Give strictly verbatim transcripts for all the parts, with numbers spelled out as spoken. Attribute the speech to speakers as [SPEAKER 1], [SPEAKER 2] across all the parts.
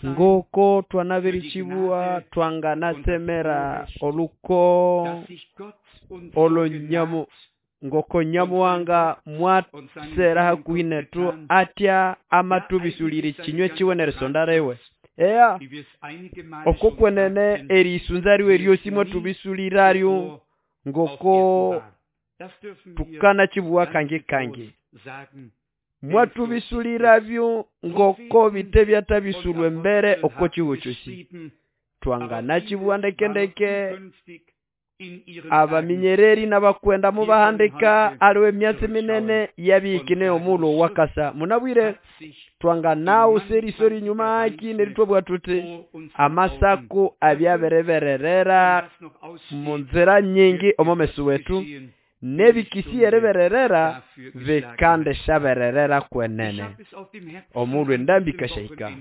[SPEAKER 1] Ngoko twanabirichibuwa twanganatsemera oluko olonyamu ngoko Nyamuhanga mwatsera hakuhi netu atya amatubisulire chinywe chiwe nerisonda riwe. Eya oko kwenene erisunza riwe ryosi mwatubisuliraryo ngoko tukana chibuwa kangi kangi mwatubisulirabyo ngoko bite byatabisulwe mbere oko chiwo chosi twangana chibuwa ndeke ndeke abaminyereri n'abakwenda mubahandika aliwe myatsi minene yabikine omulo wakasa munabwire twangana userisori nyuma aki neritwabwa tuti amasako abyaberebererera munzira nyingi omomeso wetu nebikisi erebererera vikande shabererera kwenene omulwe ndambi kashahika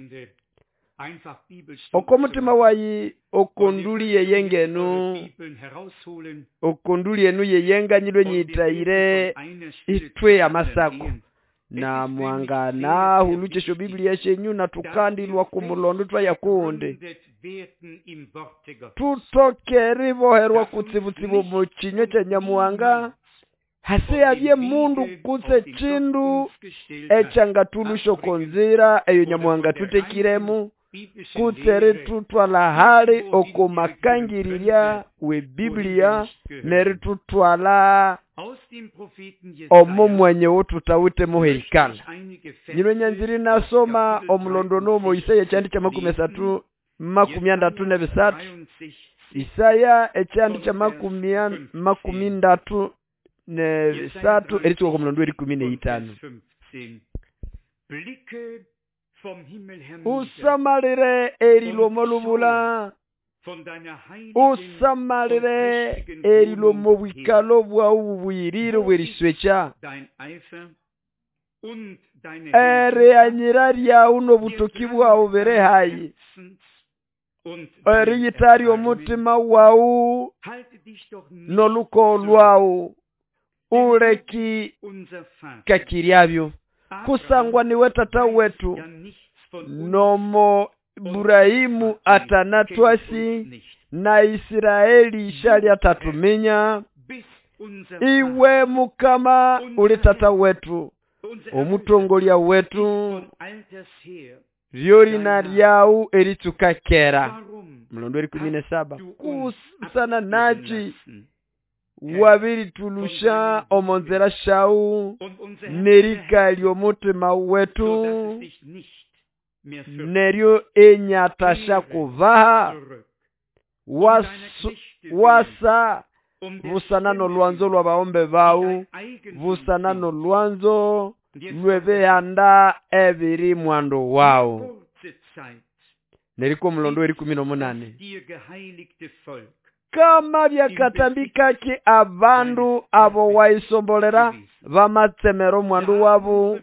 [SPEAKER 1] okomutima wayi okonduli yeyengenu okonduli enu yeyenganyilwe nyitayire itwe amasako na mwangana huluchesho Biblia shenyu na tukandilwa kumulondo twaya kundi tutoke riboherwa kutsibutsibu mu chinywe cha Nyamuhanga hase yabye mundu kutse chindu echangatulushoko konzira eyo Nyamuhanga tutekiremu kutsere tutwala hali okomakangiriria we Biblia neritutwala omo mwenye wotutawite muheikala nyino nyanziri nasoma omulondo nomo Isaya ekyandi kya makumi asatu makumi andatu nebisatu Isaya ekyandi kya makumi makumi ndatu nebisatu eritsuka omulondo erikumi neitano. Usamalire erilomo lubula usamalire erilomo bwikalo bwawu buyirire bweriswecha ere anyira ryawu nobutoki bwawu bere hayi eriyitari omutima wawu noluko lwawu uleki kakiryabyo kusangwa niwe tata wetu nomo Ibrahimu atanatwasi na Israeli shali atatuminya iwe mukama uli tata wetu omutongolya wetu ryorina ryawu eritsukakera mulondo eri kumi na saba kusana nachi wabiritulusha omonzera shau nerika lyomutima wetu neryo enyatasha kuvaha wasu, wasa busana nolwanzo lwabaombe bawu busana nolwanzo lwebehanda ebiri mwando wawu neriko mulondo eri kumi na munane kama byakatambikaki abandu abo waisombolera bamatsemero mwandu wabu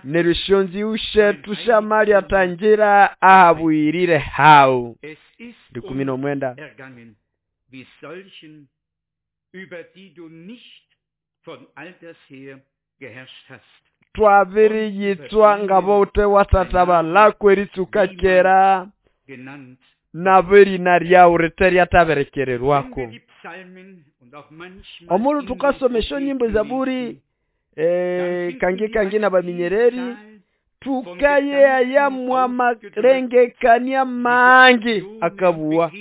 [SPEAKER 1] nerishonzi ushetu shamali atanjira ahabwirire hau kumi na mwenda twabiri yitswa ngabote watataba lakweritsuka kera nabiri naryawu riterya taberekererwako omulu tukasomesho nyimbo zaburi eh kangi kangi na baminyereri tukaye ayamwa marengekania mangi akabuwa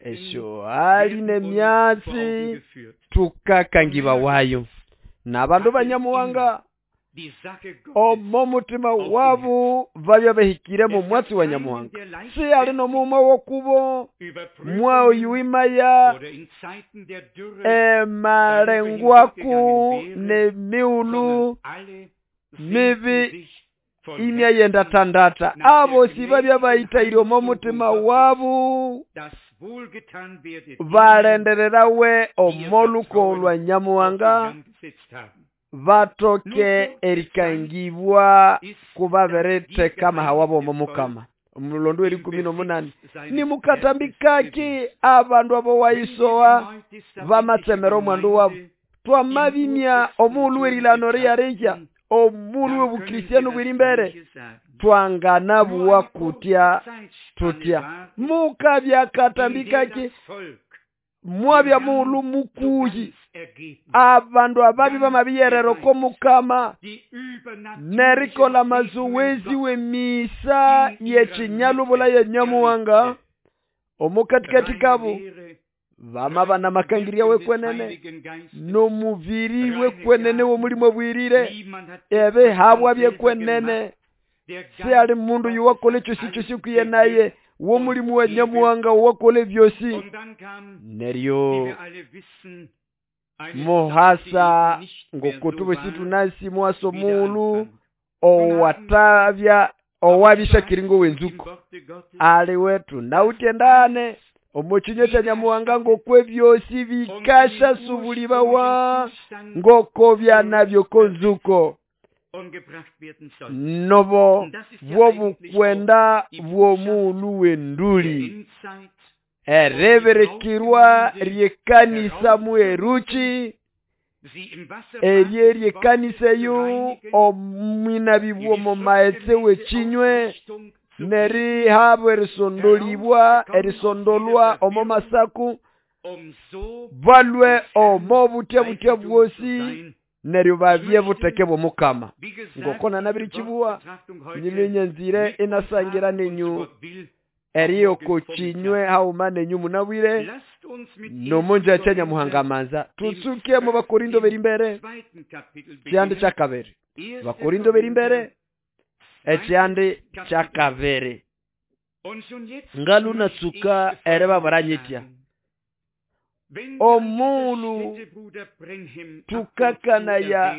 [SPEAKER 1] esho ali nemyatsi tukakangiba wayo nabandu banyamuwanga omo mutima wabu babya behikire mu mwatsi wa Nyamuhanga si ali nomuma wokubo mwao yuimaya emarengwaku nemiulu mibi imya yenda tandata abo si babya bayitaire omo mutima wabu balendererawe omoluko lwa Nyamuhanga batoke erikangibwa kubaberete kama hawabo omukama omulondo eri kumi na munane ni mukatambikaki abandu abo waisowa bamatsemero omwandu wabo twamabimya omulu erilano riyareja Omulu w'obukristiano bwiri imbere twanganabuwa kutya tutya mukabya katambikaki mwabya muulu mukuhi abandu ababi bamabiyerera oko mukama nerikola mazoezi w'emisa y'ekinyalubula ya Nyamuhanga omukatikati kabo bamaba namakangirya wekwenene nomubiri wekwenene w'omulimu obwirire ebihabwa byekwenene siali mundu yuwakola ekyosi kyosi kwiye naye w'omulimu wa Nyamuhanga wakola ebyosi neryo muhasa ngokutubosi tunasi muhaso muulu owatabya owabishakiringo wenzuko aliwe tunawutendane omukinywa kya Nyamuhanga ngokw'ebyosi bikasha subulibawa ngoko byanabyo konzuko nobo bwobukwenda bw'omuulu w'enduli ereberekirwa ry'ekanisa mueruki erye ry'ekanisa eyo omwinabi bw'omu maetse w'ekinywe nerihabwa erisondolibwa erisondolwa omo masaku balwe omo butya butya bwosi neryo babye buteke bw'omukama ngoko nabirikibuwa nyinyenyanzire inasangira nenyu eriyo kochinywe hauma nenyu munabwire nomonja kya Nyamuhanga manza tutsuke mu Bakorindo beri imbere kyandi kya kabiri Bakorindo beri imbere ekyandi kya kabiri ngalunatsuka erebabaranyitya omulu tukakana ya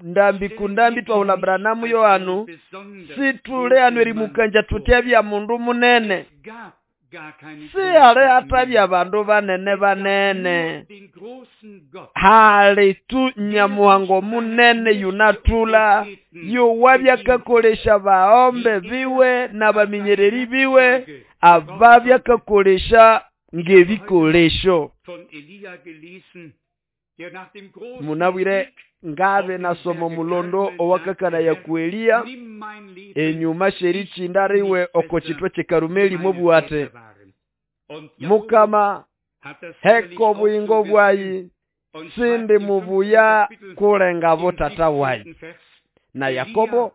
[SPEAKER 1] ndambi kundambi twahula Branamu Yohanu situle anwerimukanja tutyabya mundu munene sihali atabya bandu banene banene hali tu Nyamuhanga munene yunatula yowabyakakolesha baombe biwe n'abaminyereri biwe ababyakakolesha ng'ebikolesho munabwire ngabe nasoma mulondo owakakana ya kuelia enyuma sherichindariwe oko chitwe chekarumeli mobuate mukama heko buyingo bwayi sindi mubuya kulenga botata wayi na Yakobo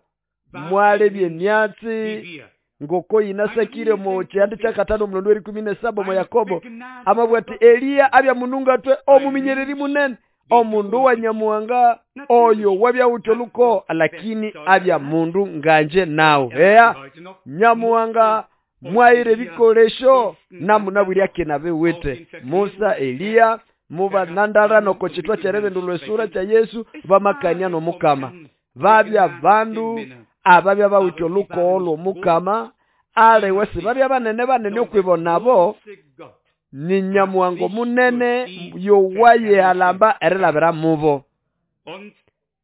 [SPEAKER 1] mwalebye myatsi ngoko inasakire mu kyandi kya katano mulondo w'erikumi nesaba mu Yakobo amabwati Eliya abya mununga twe omuminyereri munene omundu wa Nyamuhanga oyo wabya utoluko lakini abya mundu nganje nawe eya Nyamuhanga mwaire bikolesho namunabwirya kenabe wete Musa Eliya mubanandara noko chitwa kyerebendo lwesura kya Yesu bamakanya nomukama babya bandu ababya bawutoluko olwo mukama ale wese babya banene banene okwibonabo ni Nyamuhanga munene yowaye alamba erilabira mubo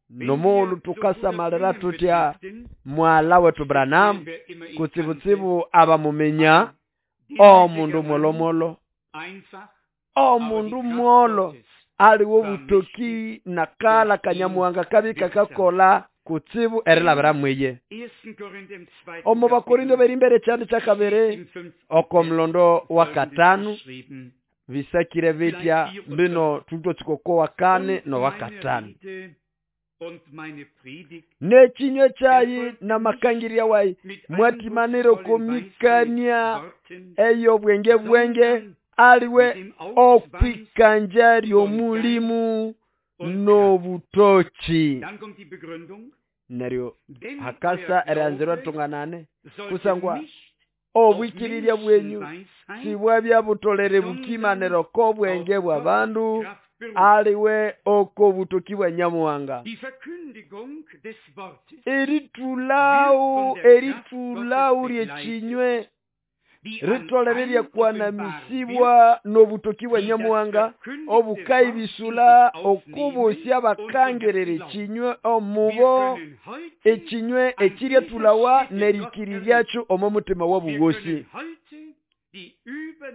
[SPEAKER 1] nomolu tukasamalira tutya mwala wetu Branham kutsibutsibu abamumenya omundu mwolomolo omundu mwolo aliwo butoki nakala kanyamuhanga kabi kakakola kutsibu erilabira mweye omu Bakorindo beri imbere kyandi kya kabiri oko mulondo wa katanu bisakire bitya bino tutotsikoko wa kane no wa katanu nekinywe kyayi namakangirya wayi mwatimanire komikania eyo bwenge bwenge aliwe okwikanja ly'omulimu n'obutoki neryo hakasa eranzirwa tunganane kusangwa obwikirirya bwenyu sibwabya butolere bukimaniro k'obwenge bw'abandu aliwe oko butoki bwa Nyamuhanga eritulao eritulao lyekinywe ritolere lyakwanamisibwa n'obutoki bwa Nyamuhanga obukaibisula okubosya bakangerere ekinywe omubo ekinywe ekiryatulawa nerikiriryakyo omo mutima wabuwosi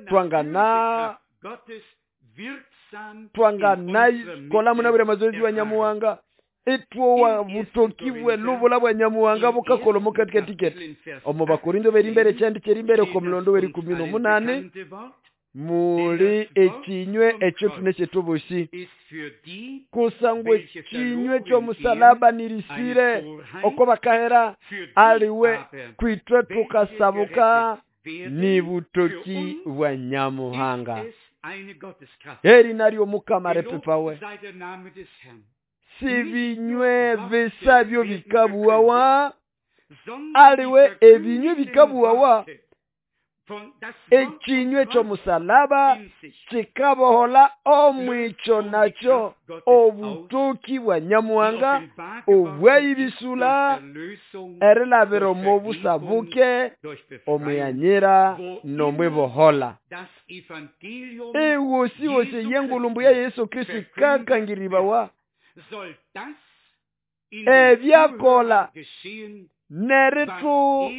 [SPEAKER 1] twangana twangana kola munabwire mazoezi wa Nyamuhanga Itwowa butoki bwe lubula bwa Nyamuhanga bukakola omukatikati omu Bakorinto berimbere ekyandi kyerimbere okomulondo werikumi n'omunani muli ekinywe ekyo tune kyethu bosi kusangwa ekinywe ky'omusalaba nirisire oko bakahera aliwe kwitwe tukasabuka ni butoki bwa Nyamuhanga. Heri naryo Mukama repepawe. Si binywe bisabyo bikabuwawa aliwe ebinywe bikabuwawa ekinywe ky'omusalaba kikabohola omwicho nakyo obutoki bwa Nyamuhanga obwayibisula erilabira omu busabuke omuyanyira nomwibohola. Ewosi wosi yengulumbu ya Yesu Kristo kakangiribawa ebyakola neritu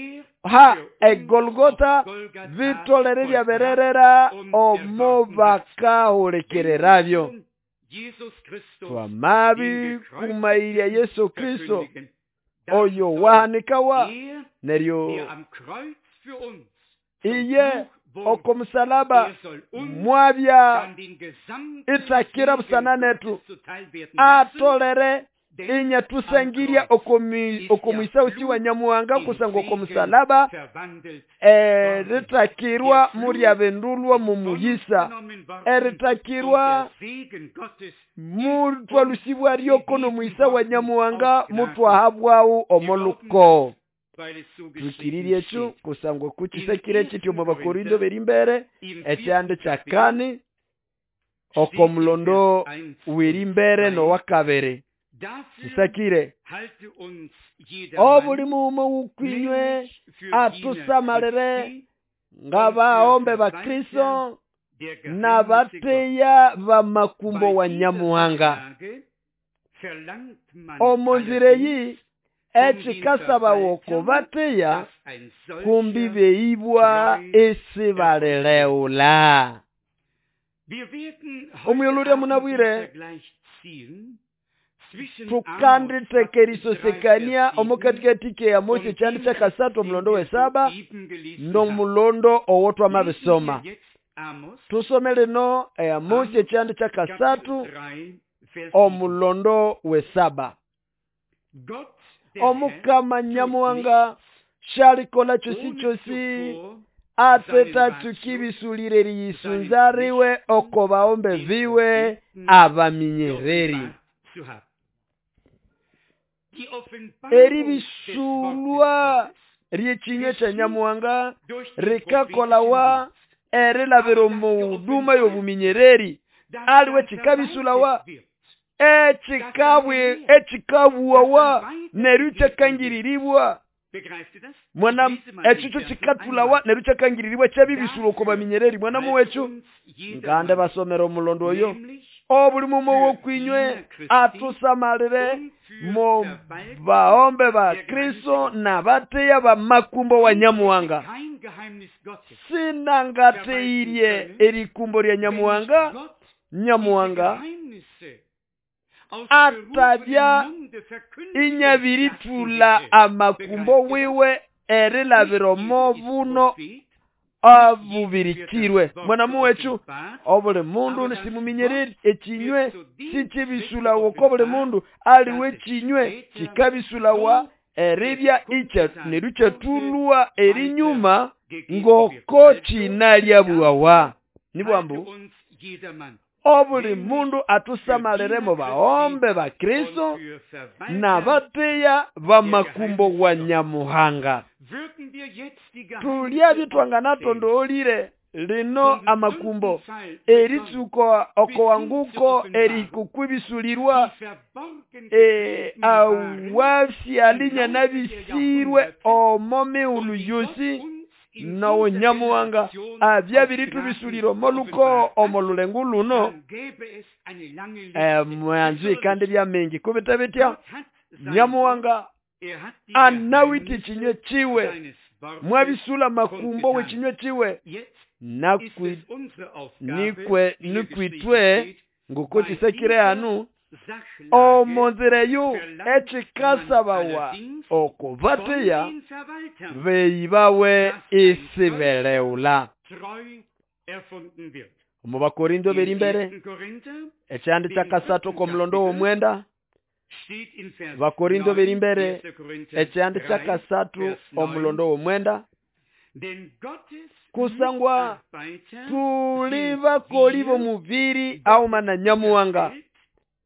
[SPEAKER 1] ha egolgota vitolere byabererera omo bakahulekererabyo. Twamabi kumairya Yesu Kristo oyo wahanikawa neryo iye okomusalaba mwabya itakira busana netu atolere inya tusangiria okomwisa usi wa Nyamuhanga kusangwa okomusalaba eritakirwa muryabendulwa mumuyisa eritakirwa mutwalusibwa ryoko nomwisa wa Nyamuhanga mutwahabwawu omoluko. Tukiririe ekyo kusangwa kukisekire kityo mu Bakorinto berimbere ekyande kyakani okomulondo werimbere nowakabere. Kisakire obuli muuma wukwinywe atusamalire ngabaombe ba Kristo nabateya bamakumbo wa Nyamuhanga. Omunzire yi ekikasabawo bateya kumbi beibwa esibaleleula. Omuyolurya munabwire tukanditekeerisosekania omukatikati ya Mose kyandi kyakasatu omulondo wesaba n'omulondo owo twamabisoma. Tusome lino eya Mose kyandi kyakasatu omulondo wesaba. Omukama Nyamuhanga shalikola kyosi kyosi ateta tukibisulire riyisunzariwe oko baombe viwe abaminyereri. Eribisulwa ryekinywe kya Nyamuhanga rikakolawa erilabira omu huduma y'obuminyereri aliwe kikabisulawa ekikabwe ekikabuwawa neryo kyakangiriribwa mwana ekyo kikatulawa neryo kyakangiriribwa kyabibisula oko baminyereri. Mwana muwekyo ngande basomera omulondo oyo obuli mumo wokwinywe atusamalire mo baombe ba Kristo na bateya ba makumbo wa Nyamuhanga. Sinangateirie erikumbo lya Nyamuhanga. Nyamuhanga atabya inyabiritula amakumbo wiwe erilabira omo buno abubirikirwe. Mwana muwechu obuli mundu nisimuminyereri ekinywe sikibisulawa oko buli mundu aliwe ekinywe kikabisulawa eribya icha neryo kyatulwa erinyuma ngoko kinalyabuwawa. Nibwambu obuli mundu atusamalire mu baombe ba Kristo na bateya bamakumbo wa Nyamuhanga. Tulya bitwanganatondoolire lino amakumbo eritsuko okowanguko erikukwibisulirwa e awafyalinya nabisirwe omo miulu yosi nawo Nyamuhanga abyabiritubisuliro moluko omolulengu luno e mwanzi kandi bya mingi kubita bitya Nyamuhanga anawiti kinywe chiwe mwabisula makumbo we kinywe chiwe nakwi nikwe nikwitwe nguko kisekire anu Omonzira eyo echikasabawa okubateya beyibawe isibeleula. Omu Bakorinto beri mbere ekyandi kyakasathu omulondo w'omwenda. Bakorinto beri mbere ekyandi kyakasathu omulondo w'omwenda. Kusangwa tuli bakoli b'omubiri auma na Nyamuhanga,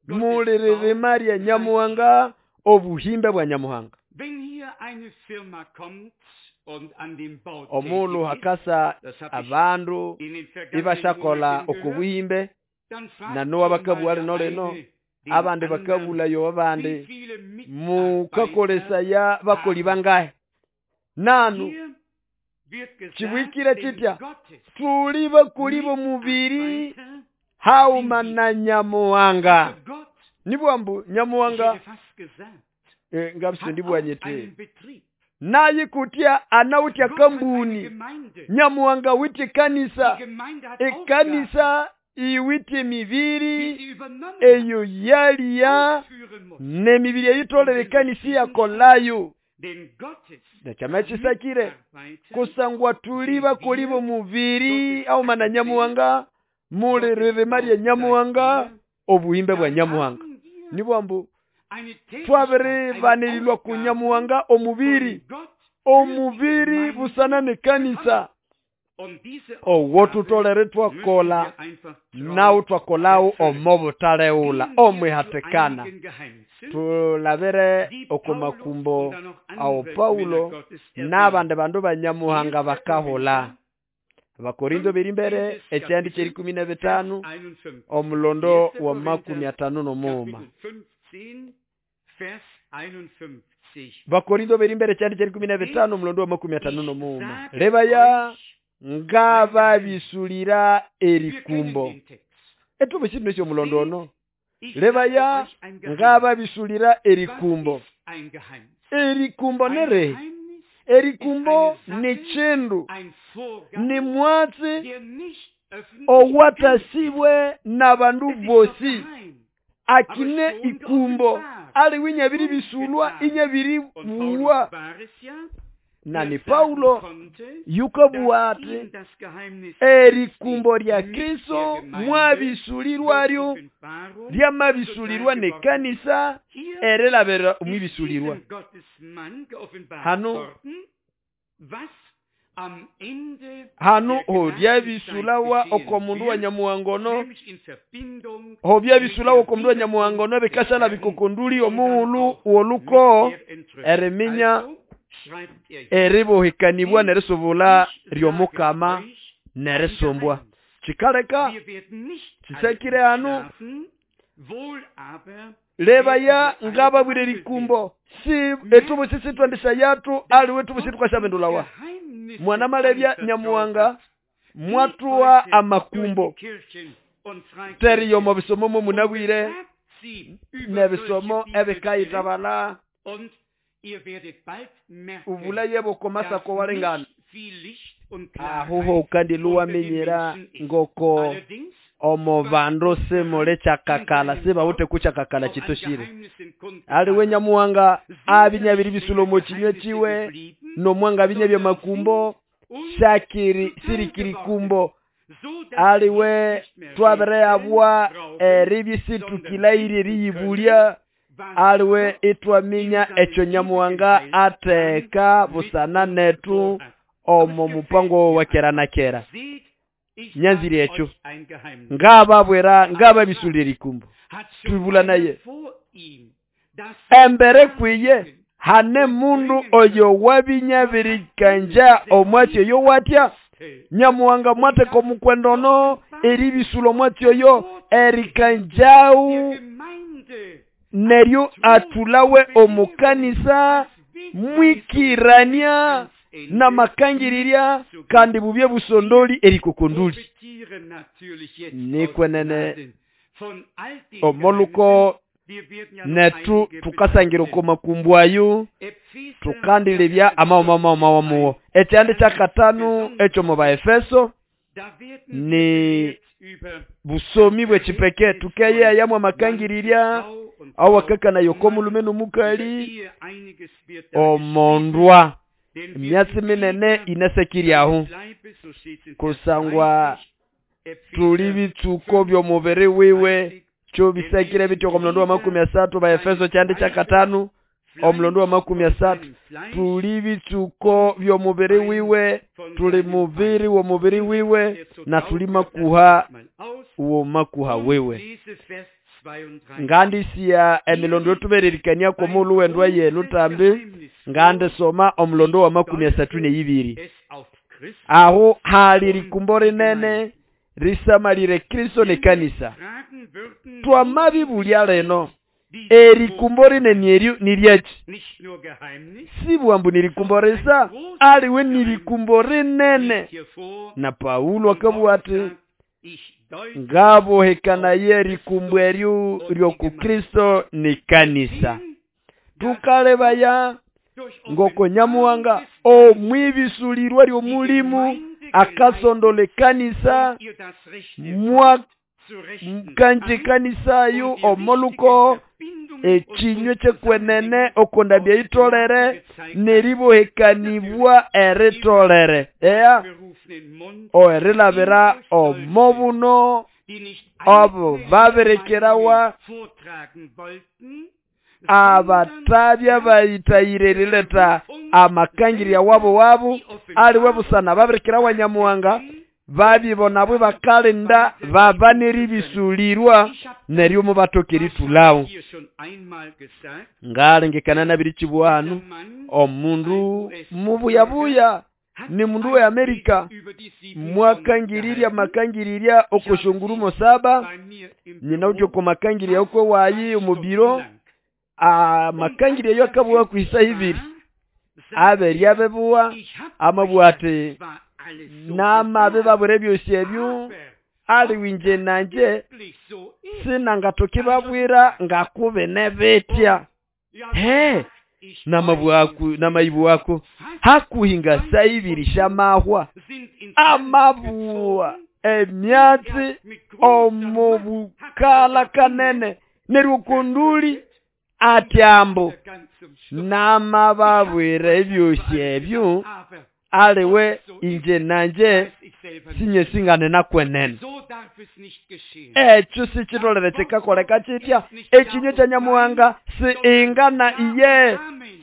[SPEAKER 1] muliririma lya Nyamuhanga, obuhimbe bwa Nyamuhanga. Omulu hakasa abandu ibashakola okubuhimbe na nowa bakabua lino lino abandi bakabulayo abandi mukakolesa ya bakoli bangahe nanu chibwikire chitya tuli bakoli b'omubiri hauma na Nyamuhanga. Nibwambu Nyamuhanga e, ngabise ndibwanyete naye kutya anawutya kambuni Nyamuhanga witye kanisa ekanisa iwitye mibiri eyo yaliya nemibiri eyitolere ekanisa yakolayo. Nekyama kisakire kusangwa tuli bakoli b'omubiri auma na Nyamuhanga, muliririma lya Nyamuhanga, obuhimbe bwa Nyamuhanga. Nibwambu twabiribanililwa ku Nyamuhanga omubiri, omubiri busana nekanisa owo tutolere twakola nawo twakolawo omo butaleula omwihatikana. Tulabere okomakumbo awo Paulo n'abandi bandu ba Nyamuhanga bakahula. Abakorinto beri mbere ekyandi kyerikumi na bitano omulondo wa makumi atano n'omuuma. Bakorinto beri mbere ekyandi kyerikumi na bitano omulondo wa makumi atano n'omuuma. Lebaya ngababisulira erikumbo. Etubu kintu ekyo omulondo ono. Lebaya ngababisulira erikumbo. Erikumbo nere. Erikumbo ni chindu, ni mwatsi owatasibwe n'abandu bosi. Akine ikumbo ali winyabiri bisulwa inyabiri buwa. Na ni Paulo yukabuwate erikumbo lya Kristo mwabisulirwa lyo lyamabisulirwa nekanisa erelabera omwibisulirwa. Hano hano hodyabisulawa okomundu wa Nyamuhangono, hobyabisulawa okomundu wa Nyamuhangono bekashala bikokonduli omuulu woluko ereminya eribohekanibwa nerisubula ryomukama nerisombwa. Chikaleka chisekire hano lebaya ngababwire likumbo si etubu sisi twandisha yatu aliwe tubu situ kwashabendulawa. Mwana malebya Nyamuhanga mwatuwa amakumbo teriyo mu bisomo munabwire nebisomo ebikayitabala ubulaye bokomasa ko walengana ahuho kandi luwamenyera ngoko omo bando semole chakakala sebawute kuchakakala chitoshire. Aliwe Nyamuhanga abinyabiri bisulo mo chinywe chiwe no mwanga binyabya makumbo shakiri sirikiri kumbo. Aliwe twabere abwa eribisitukilairi riyibulya. Aliwe itwaminya echo Nyamuhanga ateka busana netu omo mupango wa kera na kera. Nyanziri echo ngababwera ngababisulira ikumbo tubula naye embere kwiye hane mundu oyo wabinyabirikanja omwatyo yo watya. Nyamuhanga mwateko mukwendono eribisulo mwatyo yo erikanjau neryo atulawe omukanisa mwikirania na makangiriria kandi bubye busondoli erikokonduli. Nikwenene omoluko netu tukasangira komakumbwayo tukandilebya amawo mawo mawo muwo. Ekyandi kyakatano ekyo mu Baefeso ni Busomi bw'echipeke tukeyeyamu amakangirirya awakakana yoko mulume n'omukali omondwa emyatsi minene inasekiryaho kusangwa tuli bitsuko by'omubiri wiwe kyo bisekire bityo omulondo wa makumi asatu ba Efeso kyandi kyakatano omulondo wa makumi asatu tuli bitsuko by'omubiri wiwe tuli mubiri w'omubiri wiwe na tuli makuha wo makuha wiwe. Ngandisiya emilondo yotubererikania komulu wendwa yenu tambi ngandisoma omulondo wa makumi asatu n'eibiri. Aho hali likumbo rinene risamalire Kristo n'ekanisa. Twamabibulya leno erikumbo rinene niryachi sibwambu nirikumbo risa aliwe nirikumbo rinene. Na Paulo akabugha ati ngabohekana erikumbo eryo ryoku Kristo n'ekanisa. Tukalebaya ngoko Nyamuhanga omwibisulirwa ly'omulimu akasondola ekanisa mwa kanji kanisa yo omoluko ekinywe kyekwenene okondabya itolere neribohekanibwa eritolere ea oerilabira omobuno abo babirekerawa abatabya bayitayire rileta amakangirya wabo wabo aliwe busana babirekerawa Nyamuhanga babibona bwe bakalinda babaneribisulirwa neryo mubatokeri tulawo. Ngalengekana nabiri kibwanu omundu mubuyabuya ni mundu we Amerika mwakangirirya makangirirya okoshungurumo saba nyina utyo komakangirya okwe wayi omubiro amakangirya yo akabuwa kuisa ibiri aberya bebuwa amabwate namabe babure byosi ebyo ali winje nanje sinangatokibabwira ngakube nebetya he namabwaku namayibu wako hakuhinga saibiri shamahwa amabuwa emyatsi omubukala kanene nerukunduli atyambo namababwira ebyosi ebyo aliwe inje nanje sinye singane nakwenene. Ekyo sikitolere kikakoleka kitya ekinywe kya Nyamuhanga si ingana iye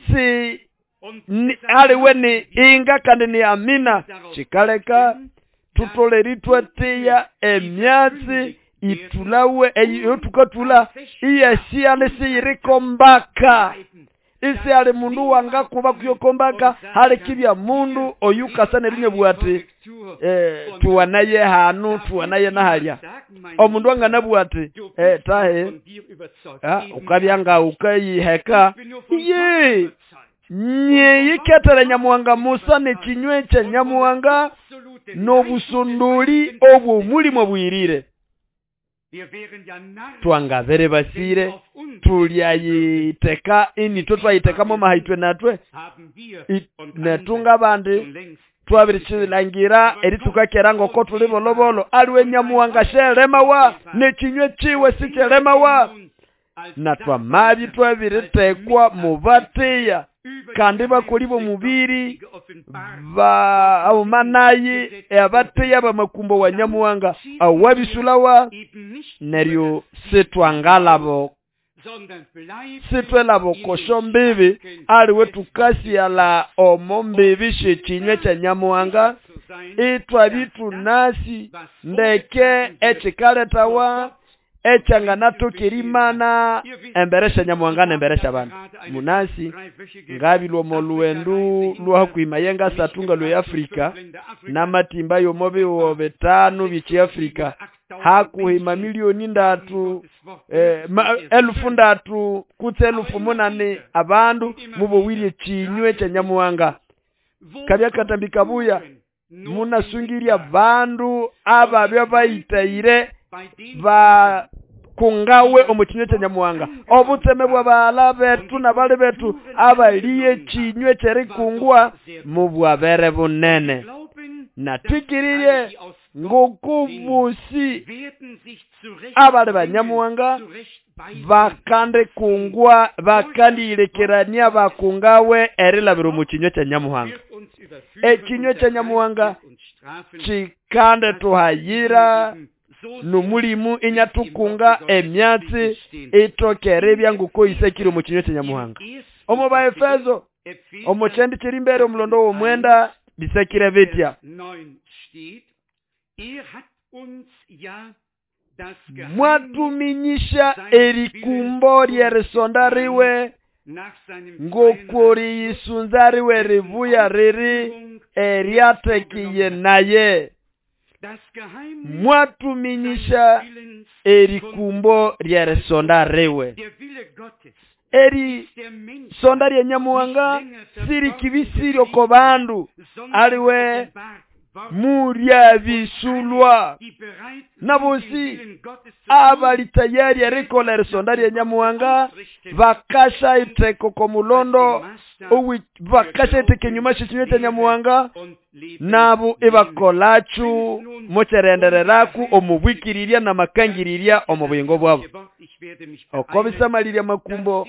[SPEAKER 1] si ni, aliwe ni inga kandi ni amina. Kikaleka tutoleri twatiya emyatsi itulawe eyo tukatula iyashiyane siyirikombaka isi ali mundu wanga kuba kuyokombaka hali kibya mundu oyukasa nerinye bwati eh, tuwanaye hanu tuwanaye nahalya omundu wanga nabwati eh, tahe ah, ukabyanga ukayiheka ye nyeyiketele Nyamuhanga Musa nekinywe kya Nyamuhanga n'obusunduli obwo mulimo bwirire twangabere basire tulyayiteka inito twayitekamo mahaitwe natwe netunga bandi twabirikilangira eritukakera ngoko tuli bolobolo aliwe Nyamuhanga sheremawa nekinywe kiwe sikyeremawa na twamabi twabiritekwa mubatiya kandi bakoli bomubiri ba abumanayi abatiya bamakumbo wa Nyamuhanga awabisulawa neryo sitwangalabo sitwelabo kosho mbibi aliwe tukasiyala omo mbibi shekinywe kya Nyamuhanga itwabitunasi ndeke ekikaletawa echanganatokerimana emberesha Nyamuhanga nemberesha bantu munasi ngabilwa moluwendu lwakwima yenga satunga lwe Afrika namatimba yomobi wo betano bichi Afrika hakuhima milioni ndatu eh, ma, elufu ndatu kutse elufu munane abandu mubowirye kinywe kya Nyamuhanga kabya katambika buya munasungiria bandu ababya bayitayire ba kungawe omukinywe kya Nyamuhanga obutseme bw'abaala betu n'abali betu abaliye kinywe kyerikungwa mubwabere bunene natwikirire Ngokubusi abali banyamuhanga bakandikungwa bakandiyilekerania bakungawe erilabira omu kinywa kya Nyamuhanga. Ekinywa kya Nyamuhanga kikandituhayira nomulimu inyatukunga emyatsi itokere ebyanguko isekire omu kinywa kya Nyamuhanga. Omu Baefeso omu kyendi kiri mbere omulondo w'omwenda bisekire bitya. Mwatuminyisha erikumbo lyerisonda riwe ngokoriyisunza riwe ribuya riri eryatekiye naye. Mwatuminyisha erikumbo lyerisonda riwe. Eri sonda lya Nyamuhanga sirikibisiri oko bandu aliwe muryabisulwa nabosi abali tayari erikola erisonda lya Nyamuhanga bakasha iteko komulondo bakasha iteko enyuma shekinywa kya Nyamuhanga nabo ibakolachu mocherendereraku omubwikirirya namakangirirya omu buyingo bwabo. Oko bisamalirya makumbo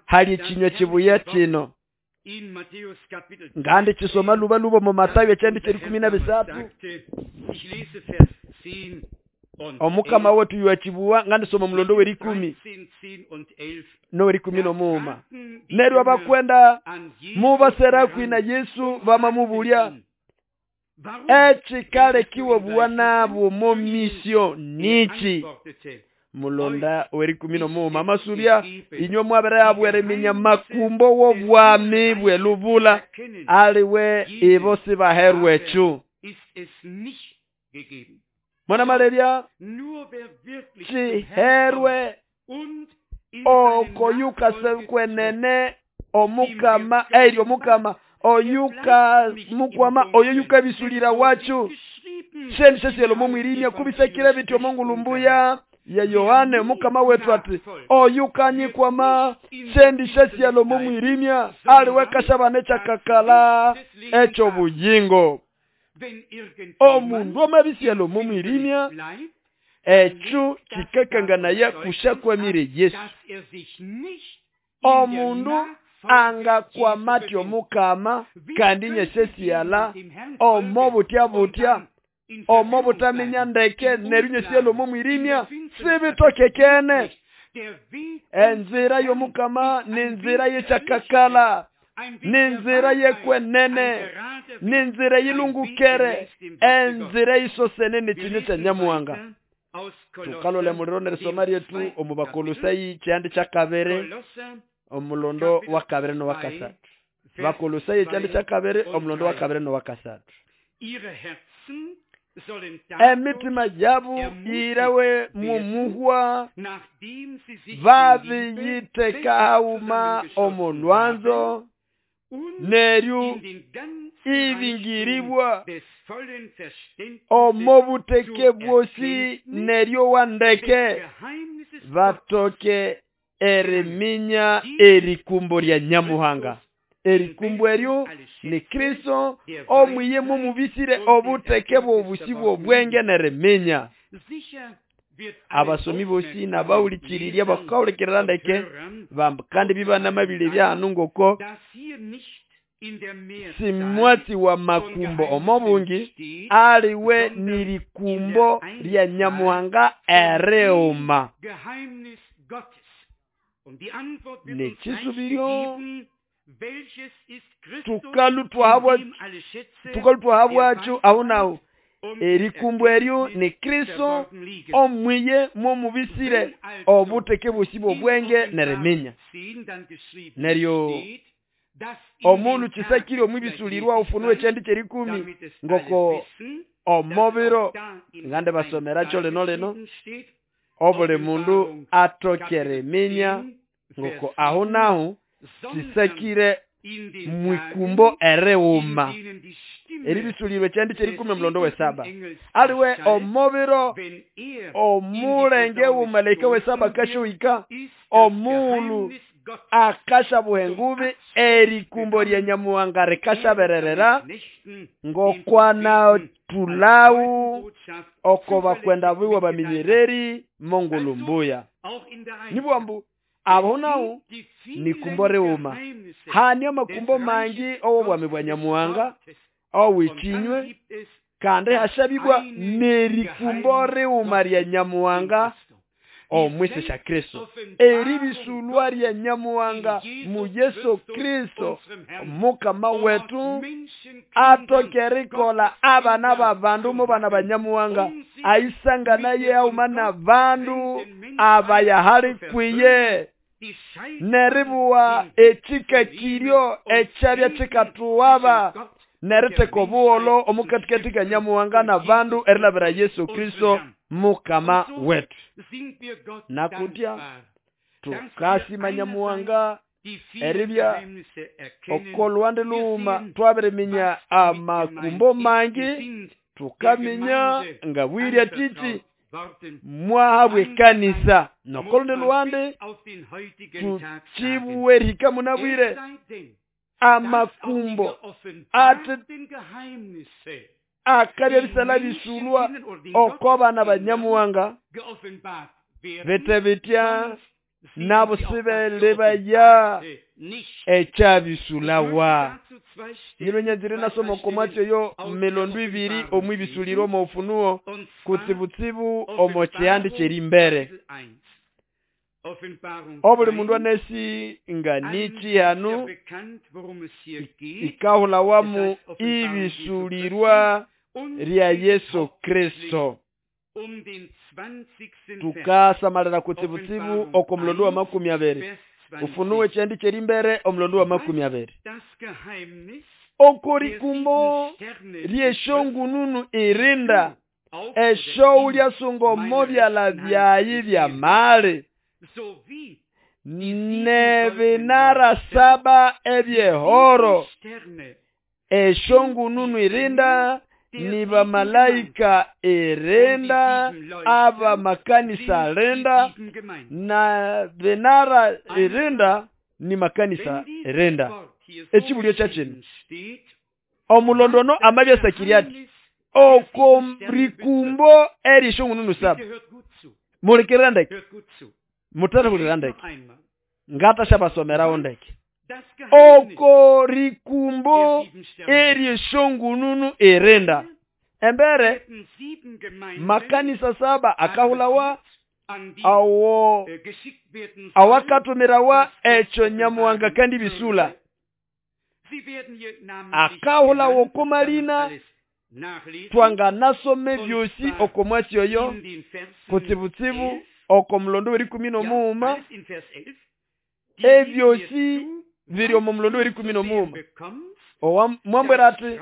[SPEAKER 1] hali ekinywa kibuya kino. Ngandi kisoma luba luba mu Matayo ekyandi kyeri kumi na bisatu. Omukama wetu yuachibuwa ngandi soma mulondo werikumi nowerikumi nomuuma. Neryo abakwenda mubasera kwina Yesu bamamubulya ekikale kiwe bwana bwo misio nichi. Mulonda werikumi nomuuma amasubya inywe mwabere abwereminya makumbo w'obwami bwelubula aliwe ibo sibaherwe echu. Mwana malebya chiherwe okoyuka sekwenene omukama eri omukama oyuka mukwama oyoyuka bisulira wachu shendi shesielo mumwirimya kubisekire bityo mongulumbuya ya Yohane mukama wetu ati oyukanyikwama shendi shesialo mumwirimya aliweka shabane chakakala echo buyingo. Omundu omabisialo mumwirimya echo kikakangana kushakwamire Yesu. Omundu anga kwa matyo mukama kandi nyesesiala omobutya butya omobutaminya ndeke neryo nyesialo mumwirimya sibitokekene. Enzira yomukama ninzira yechakakala ninzira yekwenene ninzira yilungukere enzira isosene nekinyo kya Nyamuhanga. Tukalole muliro nerisoma ryetu omu Bakolosai kyandi kyakabere omulondo wa kabere no wakasatu. Bakolosai kyandi kyakabere omulondo wa kabere no wakasatu. Emitima yabu irawe mumuhwa babiyiteka hauma omulwanzo neryo ibingiribwa omobuteke bwosi neryo wandeke batoke eriminya erikumbo lya Nyamuhanga. Erikumbo eryo ni Kristo omwiye mumubisire obuteke bwobusi bwobwenge neriminya. Abasomi bosi nabawulikirirya bakawulikirira ndeke kandi bibanamabile byanu ngoko simwatsi wa makumbo omobungi aliwe nirikumbo lya Nyamuhanga ereuma. Nekisubiryo tukalutwahabwacho aho naho erikumbo eryo ni Kristo omwiye mumubisire obuteke bosi bwobwenge neriminya. Neryo omundu kisekire omwibisulirwa ufunuwe kyendi kyerikumi ngoko omobiro ngande basomeracho leno leno obuli mundu atokere minya ngoko aho naho kisekire mwikumbo ereuma. Eribisulirwe kyendi kyerikumi omulondo wesaba aliwe omobiro omulenge wumalaika wesaba kashoika omulu Akashabuha engubi erikumbo lya Nyamuhanga rikashabererera ngokwana tulau oko bakwenda biwe baminyereri mongulumbuya. Nibwambu abo nawo ni kumbo riuma. Hani amakumbo mangi owobwami bwa Nyamuhanga owichinywe kandi hashabibwa nerikumbo riuma lya Nyamuhanga omwisi sha Kristo. Eribisulwa lya Nyamuhanga mu Yesu Kristo mukama wetu atokerikola abana babandu mu bana ba Nyamuhanga aisangana ye aumana bandu abayahali kwiye neribuwa echika kiryo echabya chikatuwaba neriteka obuholo omukatikati ka Nyamuhanga na bandu erilabira Yesu Kristo mukama wetu. Nakutya tukasima Nyamuhanga eribya okolwande luuma twabiriminya amakumbo mangi tukaminya nga bwirya titi mwahabwe kanisa nokolonde luwande tuchibuwe rika munabwire amakumbo ate akabya bisala bisulwa okobana banyamuhanga bete bitya nabo sibelebaya ekyabisulawa. Nyilonyazire nasoma okomwatyo yo milondo ibiri omwibisuliro omu Ufunuo kutsibutsibu omo kyihandi kyerimbere. Obuli mundu anesi nga nichi hanu ikahulawamu ibisulirwa lya Yesu Kristo. Tukasamalira kutsibutsibu oko mulondo wa makumi abiri. Ufunuo ekyihandi kyerimbere omulondo wa makumi abiri. Okorikumbo lyeshongununu irinda esho ulyasunga omo byala byayi bya mali nevinara saba ebyehoro. Eshongununu irinda ni bamalaika irinda aba makanisa irinda na vinara irinda ni makanisa irinda. Ekibulyo kyakino omulondono amabya sakiriati okomrikumbo erishongununu saba. Mulikirira ndeke mutarahulira ndeke ngata shabasomerawo ndeke. Okorikumbo erishongununu irinda embere makanisa saba akahulawa awo awakatumirawa echo Nyamuhanga kandi bisula akahulawo komalina twanganasome byosi okomwatyo yo kutsibutsibu okomulondo werikumi nomuuma ebyosi biri omu mulondo werikumi nomuuma. Owa mwambwera ati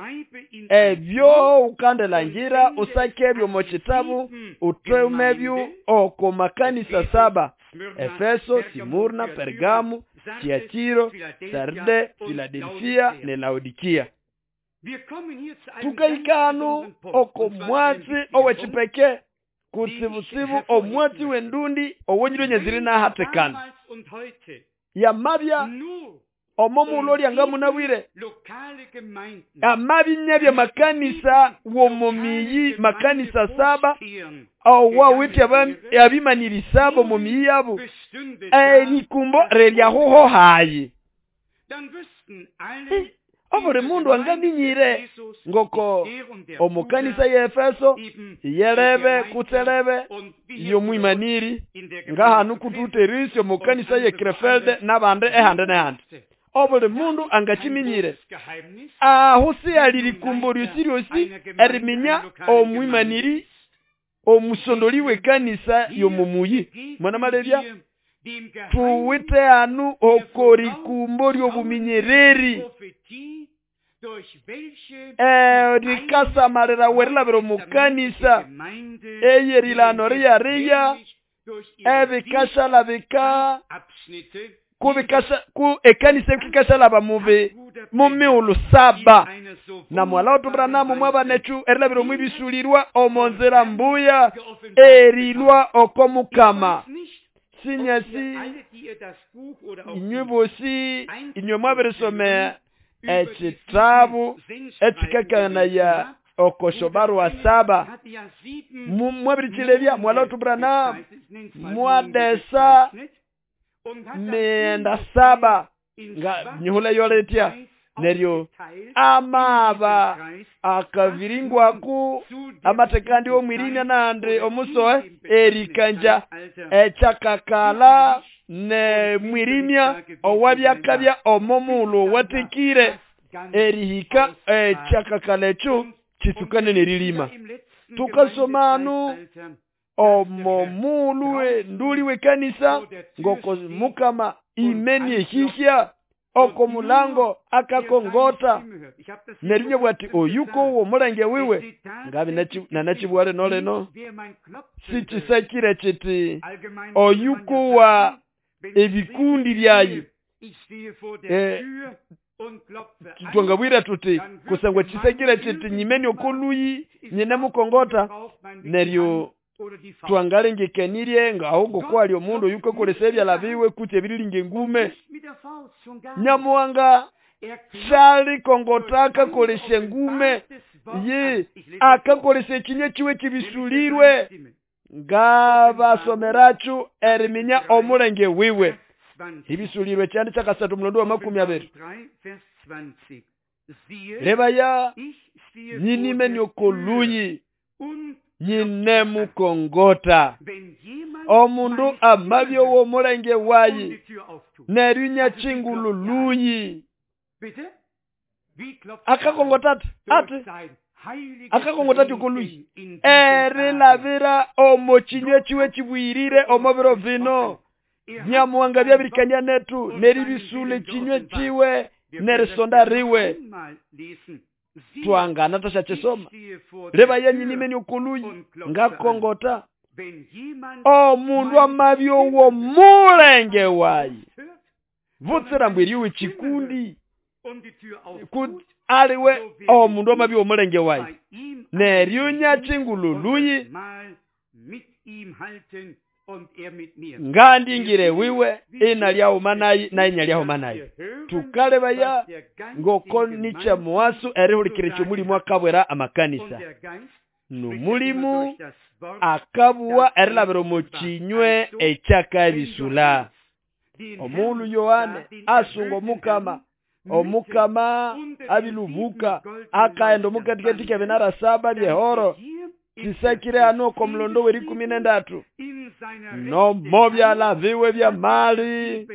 [SPEAKER 1] ebyo ukandelangira usake ebyo mu kitabu utume ebyo oko makanisa saba: Efeso, Simurna, Pergamo, Tiatiro, Sarde, Filadelfia ne Laodikia. Tukaikanu oko mwatsi owechipeke kutsibutsibu omwatsi wendundi owonyiro nyaziri na hatekana yamabya omo nga munabwire amabi nyabya makanisa womomiyi makanisa saba owa witi abimanyirisabo mumiyi yabo erikumbo reryahoho hayi. Obuli mundu angaminyire ngoko omukanisa ya Efeso yelebe kutselebe yomwimaniri ngahanu kututerisyo mukanisa ye Krefelde nabande ehande nehande. Obuli mundu angachiminyire aho si alirikumbo ryosi ryosi eriminya omwimaniri omusondoli w'ekanisa yomumuyi. Mwana malebya tuwite anu okorikumbo ryobuminyereri eh rikasamalira werilabira omukanisa eyerilano riyariya ebikashalabika kubikasha ku ekanisa ekikashalaba mubi mumiulu saba na mwala otubranamu mwabanechu erilabira omwibisulirwa omonzera mbuya erilwa okomukama. Sinyasi inywe bosi inywe mwabirisoma ekitabu ekikakanaya okosho barua saba mwabirichilebya mwalotubranam mwadesa mienda saba nga nyihula yoletya neryo amaba akaviringwaku amatekandi omwirina nandi omusoe erikanja echakakala ne mwirimya owabyakabya omomulu watekire erihika echakakala echo chisukane nerilima. Tukasomanu omomulu nduli wekanisa ngoko mukama imeni ehihya oko mulango akakongota nerinye bwati oyuko uwo mulenge wiwe ngabi nanachibwale noleno sichisakire chiti oyuko wa ebikundi byayi e, twangabwira tuti kusangwa chisakire chiti nyimeni okoluyi nyine mukongota neryo twangalengekanirye nga kwali omundu oyuko kolesa ebyala biwe kuti ebirilinga engume. Nyamuhanga shali kongota akakolesha engume ye akakolesha ekinywa kiwe kibisulirwe ngabasomerachu eriminya omulenge wiwe. Ibisulirwe kyandi kyakasatu mulondo wa makumi abiri. Lebaya nyinimeni okoluyi nyine mukongota omundu amabyo wo mulenge wayi nerunya chingulu luyi akakongota ati ati akakongota ati okoluyi erilabira omo kinywa kiwe kibwirire omo biro vino. Nyamuhanga byabirikania netu neribisule kinywa kiwe nerisonda riwe twangana tashachesoma. Leba yenyinimeni okoluyi ngakongota omundu amabyo wo mulenge wayi vutsira mbwiriwe chikundi aliwe omundu amabyo omulenge wayi neryunya chingululuyi ngandingire wiwe ina lyaumanayi na inya lyaumanayi. Tukalebaya ngoko nicha muwasu erihulikire chomulimu akabwera amakanisa numulimu akabuwa erilabira omu kinywe ekyakabisula. Omulu Yohane asunga omukama omukama abilubuka akaenda omukatikati k'ebinara saba byehoro kisakire ano omulondo w'erikumi n'endatu nomo byala biwe bya mali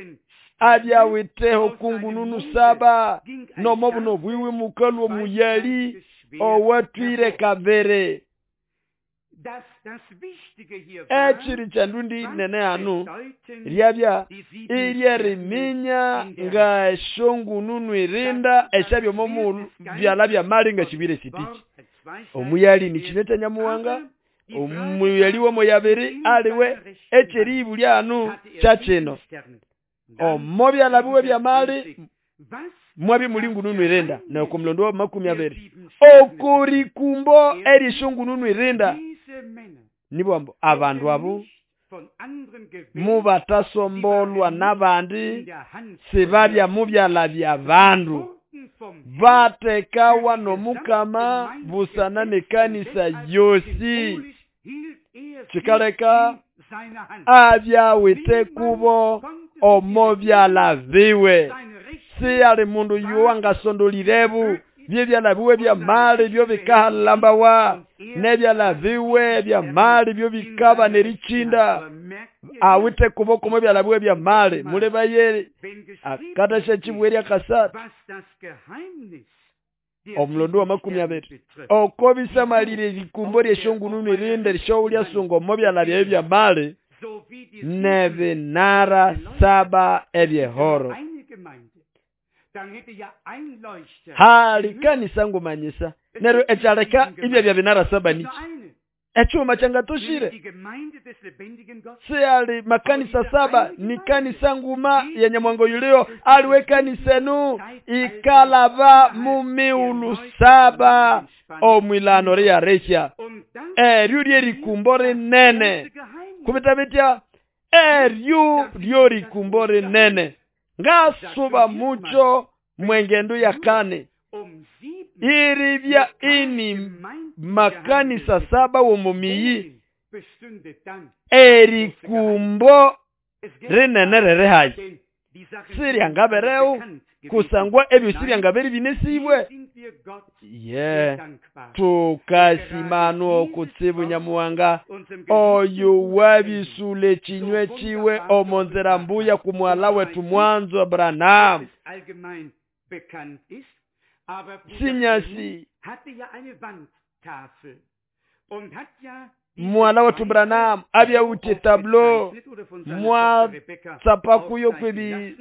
[SPEAKER 1] abyawiteho kungununu saba nomo buno bwiwe mukalu omuyali owatwire kabere. Ekiri kyandundi nene anu ryabya iryeriminya nga eshongununu irinda eshabyo momu byala bya mali nga kibire sitiki. Omuyali ni kinywa kya Nyamuhanga omuyali w'omoyabiri aliwe ekyeribu lyanu kyakino omo byala biwe bya mali mwabi mulingununu irinda na omulondo wa makumi abiri okurikumbo erishongununu irinda nibwambo abandu abo mubatasombolwa n'abandi sibabya mubyala bya bandu batekawa nomukama busana nekanisa yosi kikaleka abyawite kubo omo byala biwe. Si ali mundu yuwangasondolirebu byebyala biwe bya mali byo bikahalambawa nebyala biwe bya mali byo bikaba nerichinda awite kuboko mu byala biwe bya mali mulebaye akatasha chibweri akasatu omulondo wa makumi abiri oko bisamalire likumbo lyeshongununu irinde lishoulya sungo mu byala byawe bya mali nebinara saba ebyehoro. Hali kanisa ngumanyisa nero echaleka ibya bya binara saba niki echuma changatoshire si ali makanisa saba ni kanisa nguma ya Nyamwango yulio aliwe kanisa nu ikalaba mumiulu saba omwilano ria resha eryurye rikumbore nene kubita bitya Eryo lyorikumbo rinene ngasuba mucho mwengendo yakane iribya ini makanisa saba womumiyi erikumbo rinene ririhayi siryangabereu kusangwa ebyo siryangabere binesibwe ye tukasimano kutsibu Nyamuhanga oyo wabisule chinywe chiwe omonzera mbuya kumwala wetu mwanzo Abrahamu sinyasi mwala wetu Branham abyawuti tablo mwa tsapakuyo kwebi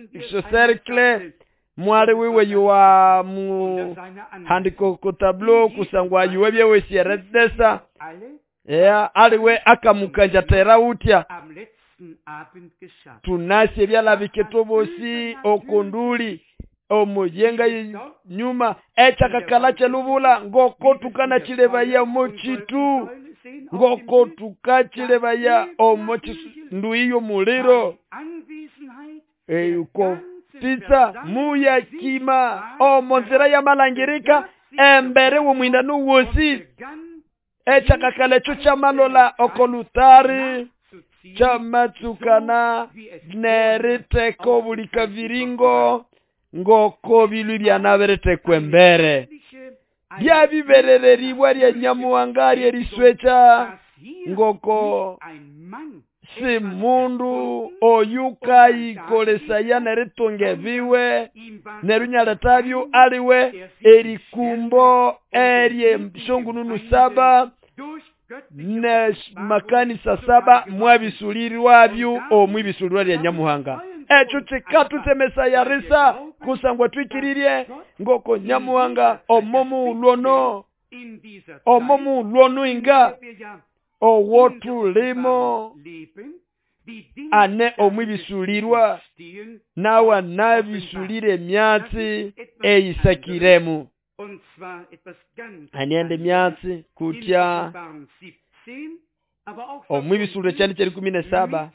[SPEAKER 1] cercle mwali wiwe yuwa mu handiko ku tablo kusangwa yuwe byewesieredesa ya aliwe akamukanja tera utya tunasi ebyalabiketobosi okonduli omuyenga nyuma echakakala chelubula ngoko tukana chilebaya mochitu ngoko tukachilebaya omochi nduiyo muliro eyuko pizza muya kima omonzera ya malangirika embere womwinda nuwosi echakakala echo chamalola okolutari chamatsukana neriteko bulika viringo ngoko bilu byanaberetekwe embere byabiberereribwa lya Nyamuhanga eriswecha ngoko si mundu oyukaikolesaya neritunga biwe nerunyaletavyo aliwe erikumbo erye shongununu saba ne makanisa saba mwabisulirwabyo omwibisulirwa lya Nyamuhanga echo chikatutemesa risa kusangwa twikiririe ngoko Nyamuhanga omomu lwono omomu lwono inga owotulimo ane omwibisulirwa nawa nabisulire myatsi eyisakiremu aniende myatsi kutya omwibisulire kyani kyeri kumi na saba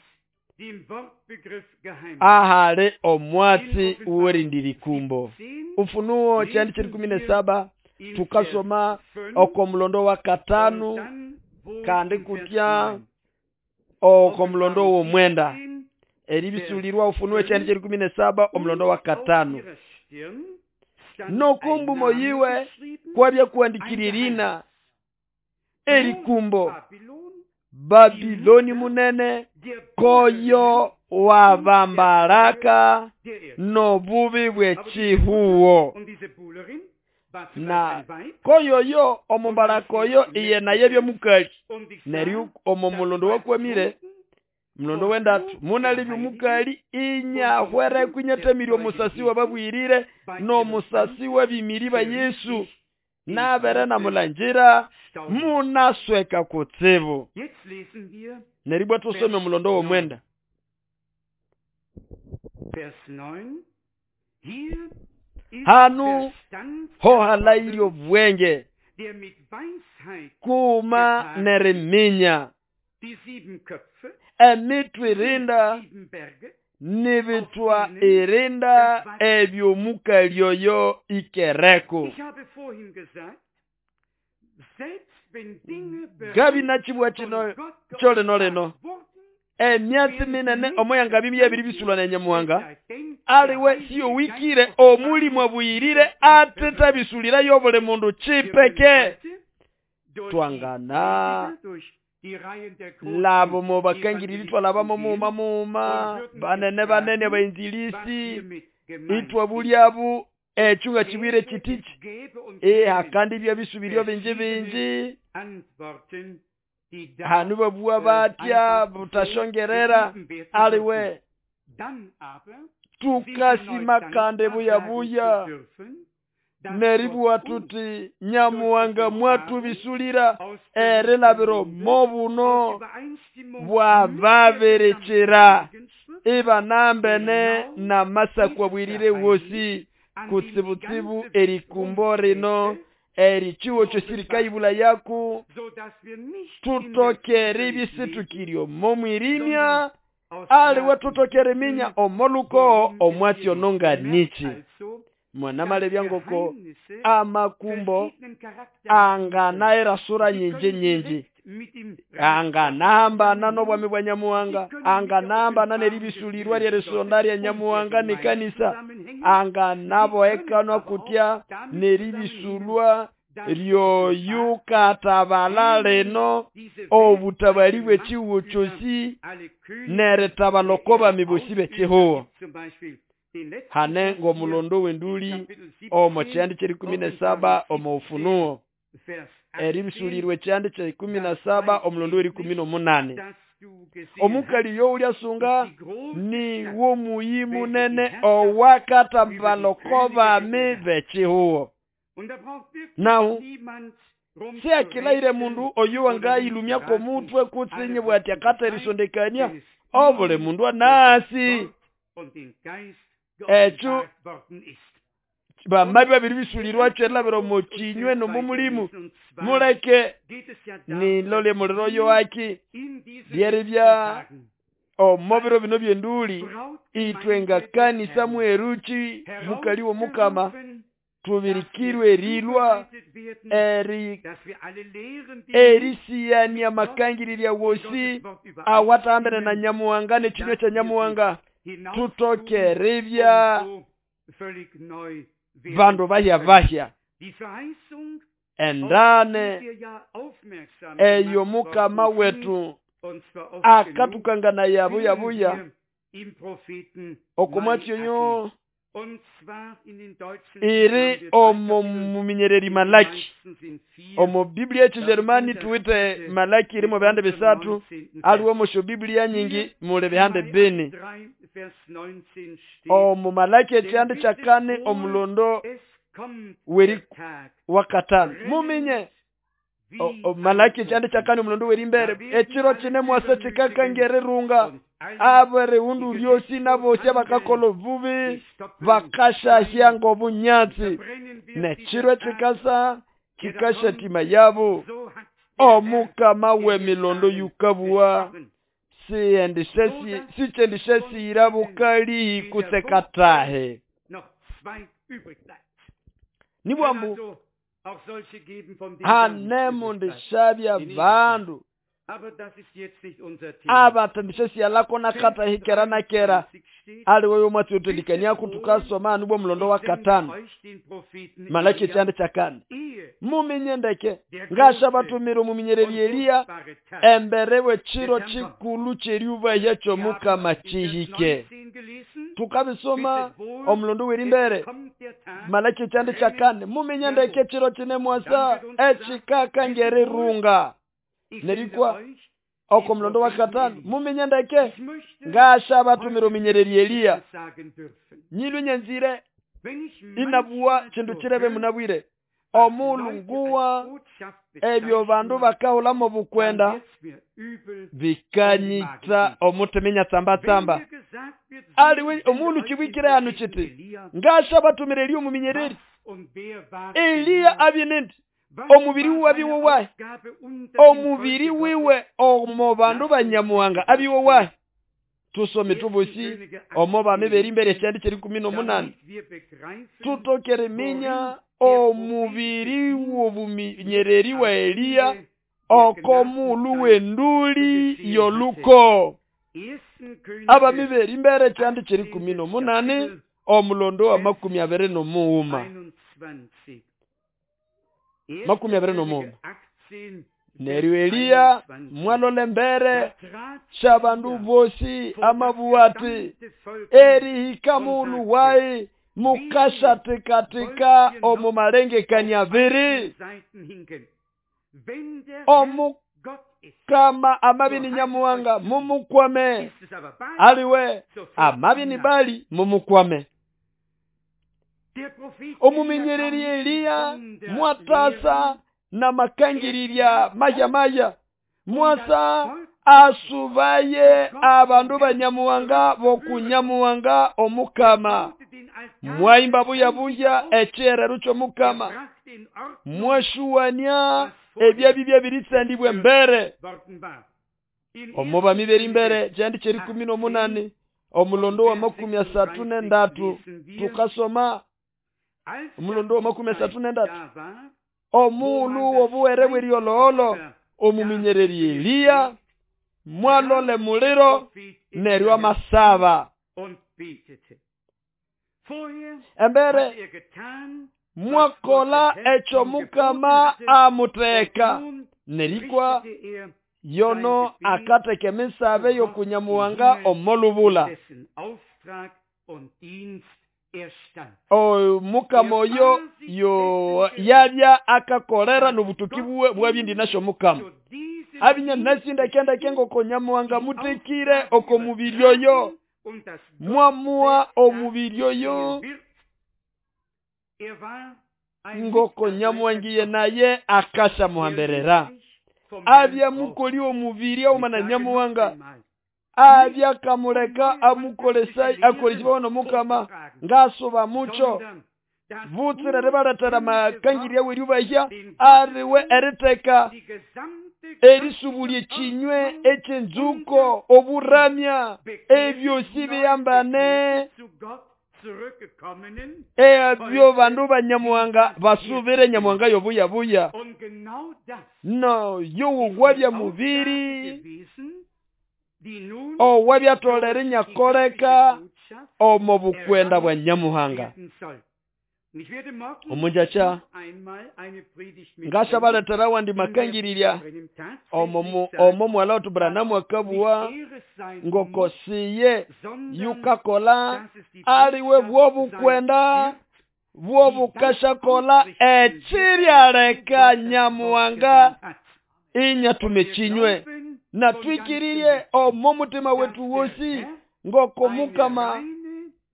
[SPEAKER 1] ahale omwatsi uwerindirikumbo Ufunuo kyani kyeri kumi na saba tukasoma oko mulondo wa katanu kandi kutya oko mulondo wo mwenda eribisulirwa Ufunuo kyani kyeri kumi na saba omulondo wa katanu nokumbu moyiwe kwabya kuandikiririna erikumbo Babiloni munene koyo wabambaraka nobubi bwechihuo na koyo yo omumbaraka oyo iye naye mukali neryo omo mulondo wakwamire mulondo wendatu munalibyo mukali inyahwere kunyatemiri omusasi wababwirire no musasi wabimiri ba Yesu nabere na mulanjira munasweka kutsibu neribwa tusome mulondo wo mwenda hanu hohalairyo bwenge kuma neriminya emitwe irinda nibitwa irinda ebyo mukalyoyo ikereko gabi nachibwa chino chole noleno emyatsi minene omoyanga bibi ebiri bisulwa na Nyamuhanga aliwe siyo wikire omulimu abuyirire ateta bisulira yobole mundu chipeke twangana labo mubakangiriri twalabamo muma muma banene banene abainzilisi itwa bulyabu echunga chibwire chitichi ehakandi bya bisubirio binji binji hanu babuwa batya butashongerera aliwe tukasima kande buya buya neribuwa tuti Nyamuhanga mwatubisulira erilabiro mobuno bwababerekera ibanambene namasakwa bwirire wosi kutsibutsibu erikumbo rino erichiwo kyosirikaibula yaku tutokere ebisitukiryo momwirimya Aliwe tutokere minya omoluko omwatsi ononga nichi. Mwana ngoko amakumbo anganaera sura nyinji nyinji. Anganahambana n'obwami bwa Nyamuhanga, anganahambana n'eribisulirwa ly'erisonda lya Nyamuhanga n'ekanisa, anganabohekanwa kutya n'eribisulwa lyoyukatabala lino obutabali bw'ekihugo kyosi n'eritabala oko bami bosi b'ekihugo. Hane ng'omulondo w'enduli omo kyandi ky'erikumi n'esaba omo Ufunuo. Eribisulirwa ekyandi kya ikumi na saba omulondo w'erikumi n'omunani. Omukali youlyasunga ni womuyi munene owakatabala oko bami b'ekihugo. Nahu siakilaire mundu oyo wangayilumya komutwe kutsinye bwati akaterisondekania obuli mundu anasi ekyo bamabi babiri bisulirwa kyerabira omu kinywe n'omu mulimu muleke nilole muliro yoaki lyeribya omu biro bino by'enduli itwe nga kanisa mweruki mukali w'omukama tubirikirwe erilwa eri erisiyania makangirirya wosi awatahambene na Nyamuhanga n'ekinywe kya Nyamuhanga tutokeribya bandu bahya bahya endane eyo mukama wetu akatukangana yabuya buya okomwatsi oyo iri omo muminyereri Malaki. Omo Biblia y'Ekijerumani tuwite Malaki irimo bihande bisatu, aliwo omosho Biblia nyingi muli bihande bini. Omo Malaki ekyihande kya kane omulondo weri wakatano. Muminye o, o Malaki ekyihande kya kane omulondo werimbere ekiro kine mwasa kikakangererunga abere undu ryosi nabosi abakakola obubi bakashahya ng'obunyatsi nekiro ekikasa kikashatima yabo. Omukama w'emilondo yukabuwa sichendishesiyira bukali kusekatahe. Nibwambu hane mundishabya bandu abatandishesiyalako nakata hikera nakera aliwe omwatsi otendikaniako tukasoma nibwo mulondo wa katano Malaki ekyanda kya kane. Muminye ndeke ngasha batumira omuminyereri Eliya embere w'ekiro kikulu ky'eryubahya ky'omukama kihike. Tukabisoma omulondo w'erimbere Malaki ekyanda kya kane. Muminye ndeke ekiro kine mwasa ekikakangererunga nerikwa oko mulondo wa katano. Muminye ndeke ngasha batumira omuminyereri Eliya nyilu nyenzire inabuwa kindu kirebe munabwire omulunguwa ebyo bandu bakahulamo bukwenda bikanyita omutemenya tsamba tsamba. Aliwe omulu kibwikire hanu kiti ngasha batumira Eliya omuminyereri Eliya abye omubiri wiwe abiwe wahe omubiri wiwe omo bandu banyamuhanga abiwe wahe. Tusome tubosi omo bami berimbere ekyandi ky'erikumi n'omunani tutokere minya omubiri w'obuminyereri wa Eliya okomulu w'enduli yoluko. Abami berimbere ekyandi ky'erikumi n'omunani omulondo wa makumi abiri n'omuwuma makumi abiri n'omuwuma. Neryo Eliya mwalole mbere shabandu bosi amabuwati erihika mulu wayi mukashatikatika omu malengekania abiri omukama amabini Nyamuhanga mumukwame aliwe amabini bali mumukwame. Omuminyereri Eliya mwatasa na makangirirya maya maya mwasa asubaye abandu banyamuhanga bokunyamuhanga omukama mwaimba buya buya ekyerero ky'omukama mwashuwania ebyabibya biritsandibwe mbere. Omo bami b'erimbere kyandi ky'erikumi n'omunani omulondo wa makumi asatu n'endatu tukasoma omulondo wa makumi asatu n'endatu omuulu w'obuwere bw'eriololo omuminyereri Eliya mwalole muliro neryo amasaba. Embere mwakola ekyo Mukama amuteeka nerikwa yono akateka emisabe y'okunyamuwanga omolubula. O Mukama oyo yo yabya akakolera n'obutuki bwe bwabindi nasho Mukama. Abinya nasinda kenda kengo konyamuwanga mutekire oko mubiri oyo. Mwamua omubiri oyo ngoko nyamuwangiye naye akasha muhamberera. Abya mukoli omubiri aumana nyamuwanga. Abya kamuleka amukolesa akolesibwa no Mukama ngasuba mucho. Vutsire ribaletera makangirya w'eribahya ariwe eriteka erisubulie kinywe eky'enzuko oburamya ebyosi biyambane ebyo bandu banyamuwanga basubire nyamuwanga yobuyabuya. No yowugwabya mubiri owabyatolere nyakoleka omo bukwenda bwa nyamuhanga. Omunjacha ngashabaletera wandi makangirirya omo omo mwala otu Branamu akabuwa ngokosiye yukakola aliwe bwobukwenda bwobukashakola ekiryaleka nyamuwanga inyatume kinywe. Na twikiririe omo mutima wetu wosi ngoko Mukama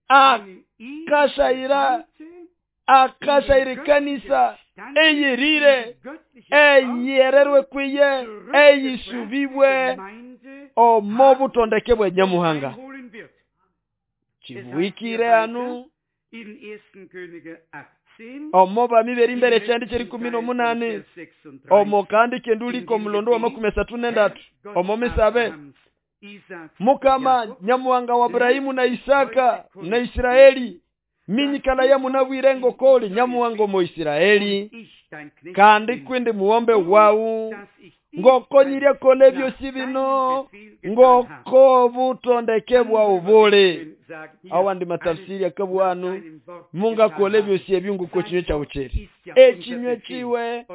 [SPEAKER 1] akashaira akashaira kanisa eyirire eyererwe kwiye eyisubibwe omo butondeke bwe nyamuhanga. Kibuikire anu omo bami b'erimbere kyandi ky'erikumi n'omunani omo kandi kenduliko omulondo wa makumi asatu n'endatu omo misabe Mukama nyamuwanga wa Ibrahimu na Isaka na Isiraeli minyikala ya munabwire ngokoli nyamuwanga omo Isiraeli kandi kwindi muwombe wawu ngoko nyiryakole byosi bino ngoko butondeke bwa ubule. Awandi matafsiri akabwanu mungakole byosi ebyungu ko kinywe kyawu kyeri ekinywe kiwe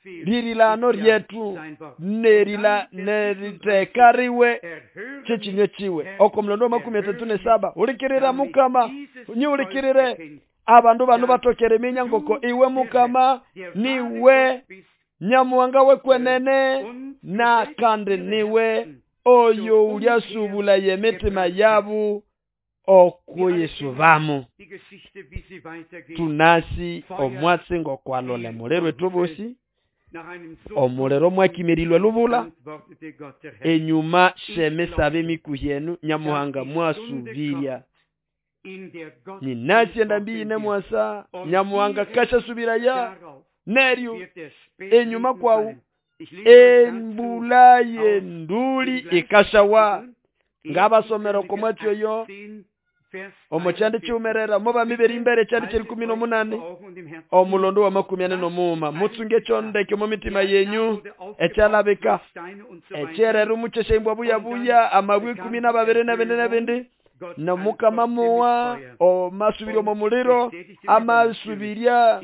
[SPEAKER 1] lirilano ryetu nerila neritekariwe kyekinywe kiwe. Oko mulondo wa makumi atatu n'esaba ulikirira Mukama nyiulikirire abandu bano batokere minya ngoko iwe Mukama niwe nyamuwanga wekwenene na kandi niwe oyo ulyasubula yemitima yabu okuyisubamu. Tunasi omwatsi ngokwalole mulero etubusi omulero mwakimirilwe lubula enyuma shemisabe mikuhyenu nyamuhanga mwasubirya. Ninasi endambi ine mwasa nyamuhanga kasha subiraya neryo enyuma kwawu embula yenduli ikashawa. Ngabasomero komwatsi oyo omo kyandi kyumerera omo bami b'erimbere kyandi ky'erikumi n'omunani omulondo wa makumi ane n'omuuma mutsunge kyondeke omu mitima yenyu ekyalabika ekyerera omukyesha embwa buyabuya amabwe ikumi n'ababiri n'ebindi n'ebindi nomukama muwa omasubirya omo muliro amasubirya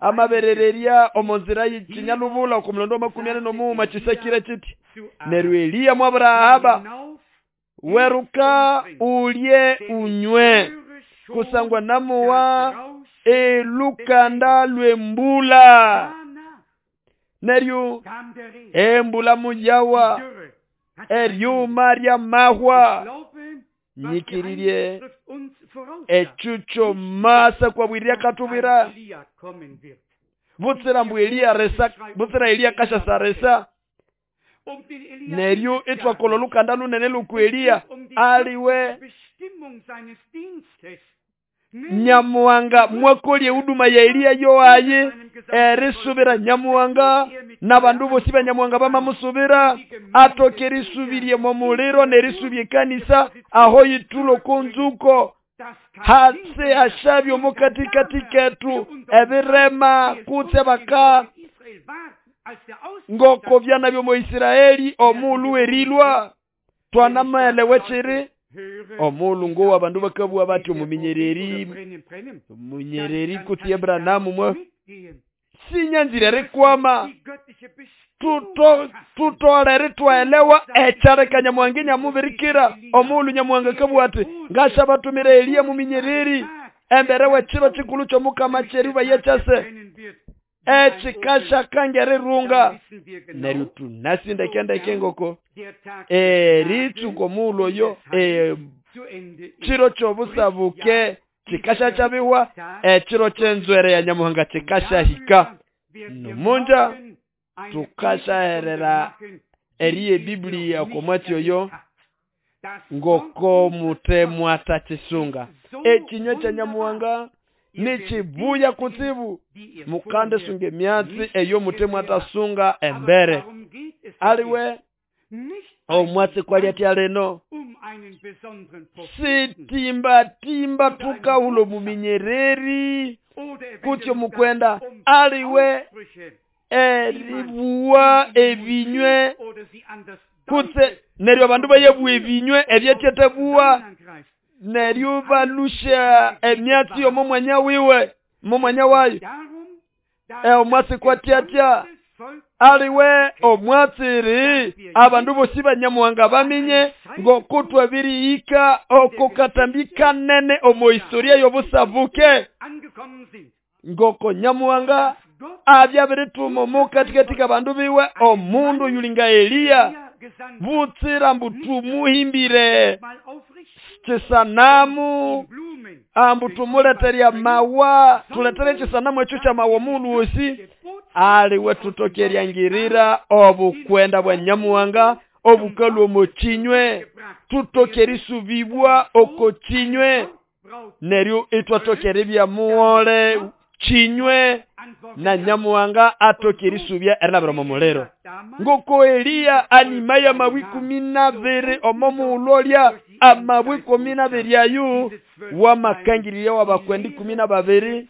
[SPEAKER 1] amaberererya omo nzira y'ikinyalubula oku mulondo wa makumi ane n'omuuma kisakire kiti neryo Eliya mwabura weruka ulye unywe kusangwa namuwa elukanda lwembula. Neryo embula muyawa eryuma ryamahwa nyikiririe echucho masa kwa bwirya katubira butsira mbu Eliya resa butsira Eliya kasha saresa. Neryo itwakola olukanda lunene luku Eliya aliwe nyamuwanga mwakolye huduma ya Eliya yoaye erisubira nyamuwanga n'abandu bosi banyamuhanga bamamusubira atoke erisubirye momuliro n'erisubya ekanisa aho yithulo konzuko hase ashabye omukatikati ketu ebirema kutse baka ngoko byana byomo Isiraeli omulu erilwa twanamaelewe chiri omulu ngo abandu bakabua bati omuminyereri munyereri kutse Abrahamu mwe sinyanzire rikwama tuto tutolere twaelewa echareka nyamuhanga nyamubirikira omulu nyamuhanga kabua ati ngasha batumira Eliya muminyereri embere wechiro chikulu chomukama cheriba yechase echikasha kangere runga neryo tunasindekendeke ngoko eritsuko mulo yo e chiro chobusabuke chikasha chabiwa echiro chenzwere ya nyamuhanga chikasha hika numunja tukashaherera eriye Biblia komwatyo yo ngoko mutemwa atachisunga ekinywa cha nyamuhanga nichibuya kutsibu mukande sunge myatsi eyo mutemwa atasunga embere aliwe omwatsi kwali atya leno sitimba timba tukahulo muminyereri kutyo mukwenda aliwe eribuwa ebinywe kutse neryo abandu bayebuwa ebinywe ebyetyetebuwa neryo balusha emyatsi yomo mwanya wiwe momwanya wayo e omwatsi kwatyatya aliwe omwatsiri abandu bosi banyamuhanga baminye ngokutwa birihika okukatambika nene omo historia yobusabuke ngoko nyamuhanga abyabirituma omukatikati abandu biwe omundu yulinga Eliya butsira mbu tumuhimbire chisanamu ambu tumuleterya mawa tuletere chisanamu ekyo kya mawa omundu wosi aliwe tutokeryangirira obukwenda bwa nyamuhanga obukalwa omo kinywe tutokerisubibwa oko kinywe neryo itwatokeribya muwole kinywe na nyamuhanga atokerisubya erilabira omo muliro ngoko Eliya anima ya mabwi kumi nabiri omo muulolya amabwi kumi nabiri ayu wamakangirya wabakwendi kumi na babiri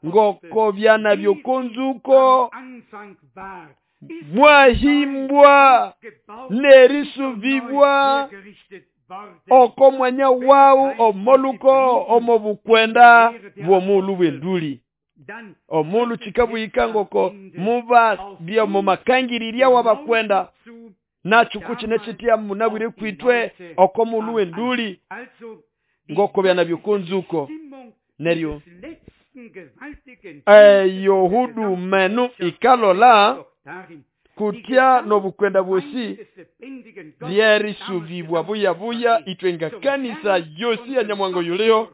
[SPEAKER 1] ngoko byana byokonzuko mwahimbwa nerisubibwa oko mwanya wawu omoluko omo bukwenda bw'omulu bw'enduli omulu chikabuyika ngoko muba bya mumakangirirya wabakwenda nachuku chine chitya munabwire kwitwe oko mulu w'enduli ngoko byana byokonzuko neryo eyo hudu menu ikalola kutya nobukwenda bwosi lyerisubibwa buya buya itwe kanisa yosi ya nyamwango yuliho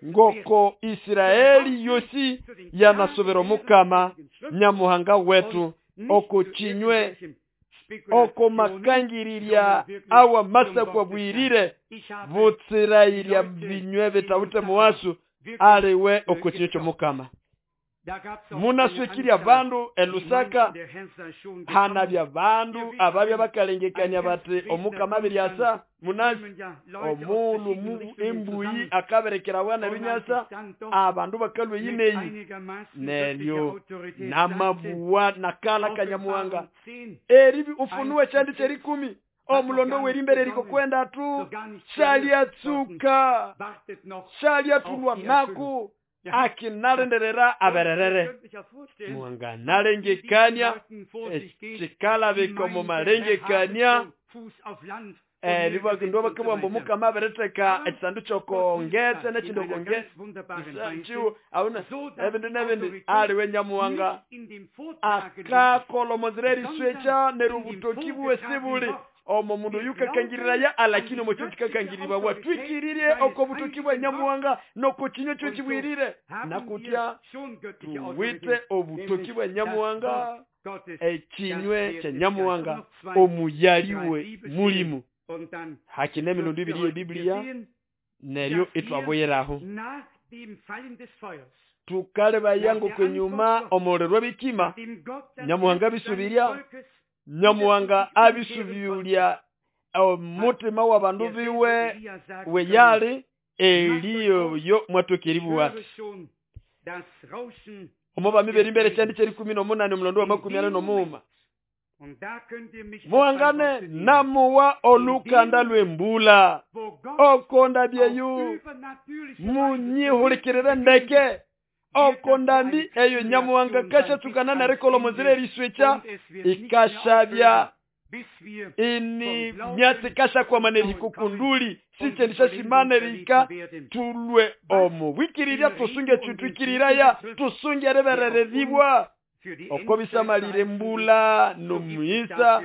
[SPEAKER 1] ngoko Israeli yosi yanasubira mukama nyamuhanga wetu oko chinywe oko makangirirya awa masa kwa bwirire butsirairya binywe bitawute muwasu aliwe oko chinywe chomukama munaswekirya bandu elusaka hana bya bandu ababya bakalengekanya bati omukama biryasa munasi omulu mu embuyi akaberekera wana binyasa abandu bakalwe yineyi neryo namabuwa nakala kanyamuhanga eribi ufunuwe chandi cherikumi omulondo werimbere riko kwenda tu shalyatsuka shalyatulwa naku akinalenderera abererere muhanga nalengekania ekikalabika omu malengekania eribakindu bakabwamba omukama abereteka ekisandu kyokongetse nekindi okongetse awuna ebindu nebindi aliwe nyamuhanga akakola omonzira eriswecha neryo obutoki bwesi buli omo mundu yukakangirira alakini omo kyo kikakangiribwa watwikirire oko butoki bwa nyamuhanga noko kinywa kyo kibwirire nakutya tuwite obutoki bwa nyamuhanga ekinywe kya nyamuhanga omuyaliwe mulimu hakine emirundi ibiri y'Ebiblia neryo itwaboyeraho. Tukalebaya ngokwenyuma omuliro bikima Nyamuhanga bisubiria Nyamuhanga abisubiria omutima w'abandu biwe weyali Eliya yo mwatokeribuwa omo bamiberi mbere kyandi kyeri kumi n'omunani omulondo wa makumi ane n'omuuma muhangane namuwa olukanda lw'embula okonda byeyu munyihulikirire ndeke okondambi eyo Nyamuhanga kashatsukana nerikola omuzira eriswekya ikashabya ini myatsi kashakwama nerihikukunduli sikyendishasimana rika tulwe omubwikirirya tusunge kyutwikiriraya tusunge eriberereribwa okobisamalire mbula nomuisa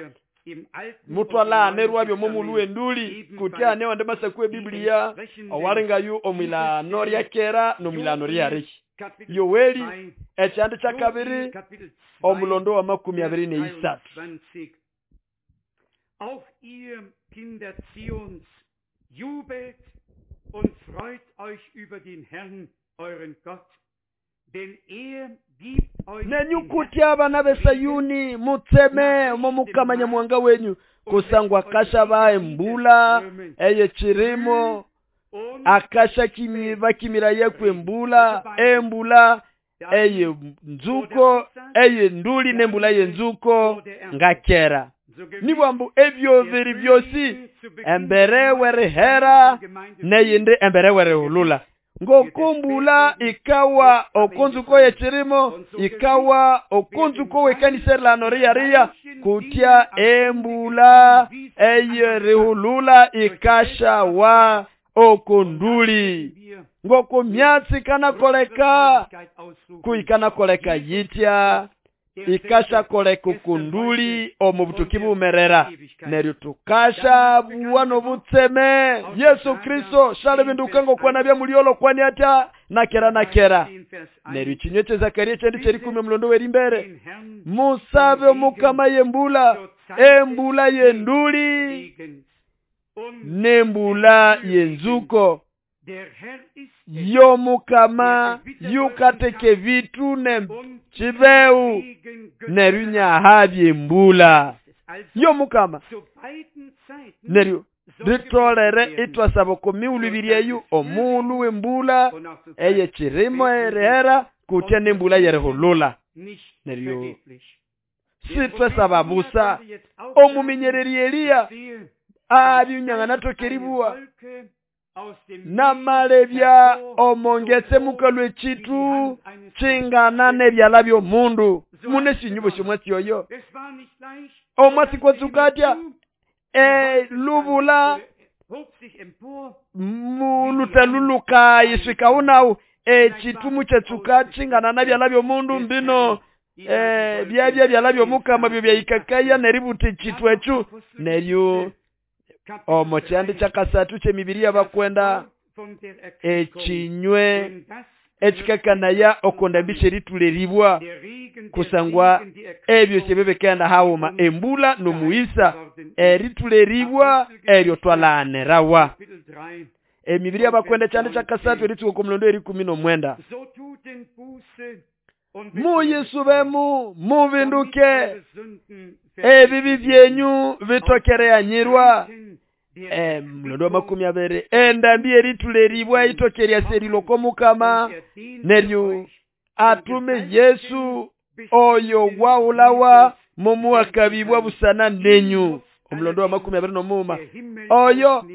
[SPEAKER 1] mutwalanerwa byomomulu wenduli kutya newande masaku ebiblia owalingayu omwilano ryakera nomwilano ryariki Yoweli ekyandi kyakabiri omulondo wa makumi abiri neisatu.
[SPEAKER 2] Auch ihr Kinder Zions, jubelt und freut euch über den Herrn, euren Gott, denn er gibt euch
[SPEAKER 1] nenyukuti abana b'Esayuni mutseme omomukama Nyamuhanga wenyu kusangwa akasha baembula eye chirimo akasha kimi bakimira yekwe embula embula eye nzuko eye nduli nembula ye nzuko ngakera nibwambu ebyo biri byosi embere werihera neyindi embere werihulula ngokumbula ikawa okonzuko yechirimo ikawa okonzuko wekanisa lano riyaria kutya embula eyerihulula ikasha wa okonduli ngoko myatsi kanakoleka kuikanakoleka yitya ikasha koleka okunduli omubutuki bumerera neryo tukasha buwano butseme Yesu Kristo shale binduka ngokwana bya muliolo kwani ata nakera nakera neryo chinywe kye Zakaria kyendi kyerikumi omulondo werimbere musabe omukama yembula embula yenduli nembula yenzuko yomukama yukateke vitu ne chibeu neryo nyahabye embula yomukama neryo ritolere itwasaba komiulu ibiri omulu wembula eye chirimo erihera kutya nembula yerihulula neryo sitwasaba busa omuminyereri Eliya abyunyang'anatokeribuwa namalebya omongetse mukalwe chitu chingana nebyala by'omundu mune sinyubo syomwatsi oyo omwatsi kwatsukatya e lubula mulutaluluka yiswikaunau echitumu kyetsuka chingana nabyala by'omundu mbino e byabya byala by'omukama byo byayikakaya neributi chitu echu neryo omo kyandi kyakasatu kyemibiri y'abakwenda ekinywe ekikakanaya okondambisha erituleribwa kusangwa ebyo kyebebekenda hawuma embula nomuisa erituleribwa eryo twalanerawa emibiri y'abakwenda kyandi kyakasatu eritsuka omulondo erikumi n'omwenda muyisubemu mubinduke ebibi byenyu bitokereyanyirwa eh mlondo wa makumi abiri endambi erituleribwa itokerya seriloko mukama neryo atume Yesu oyo waulawa mumuakabibwa busana nenyu omulondo wa makumi abiri n'omuma oyo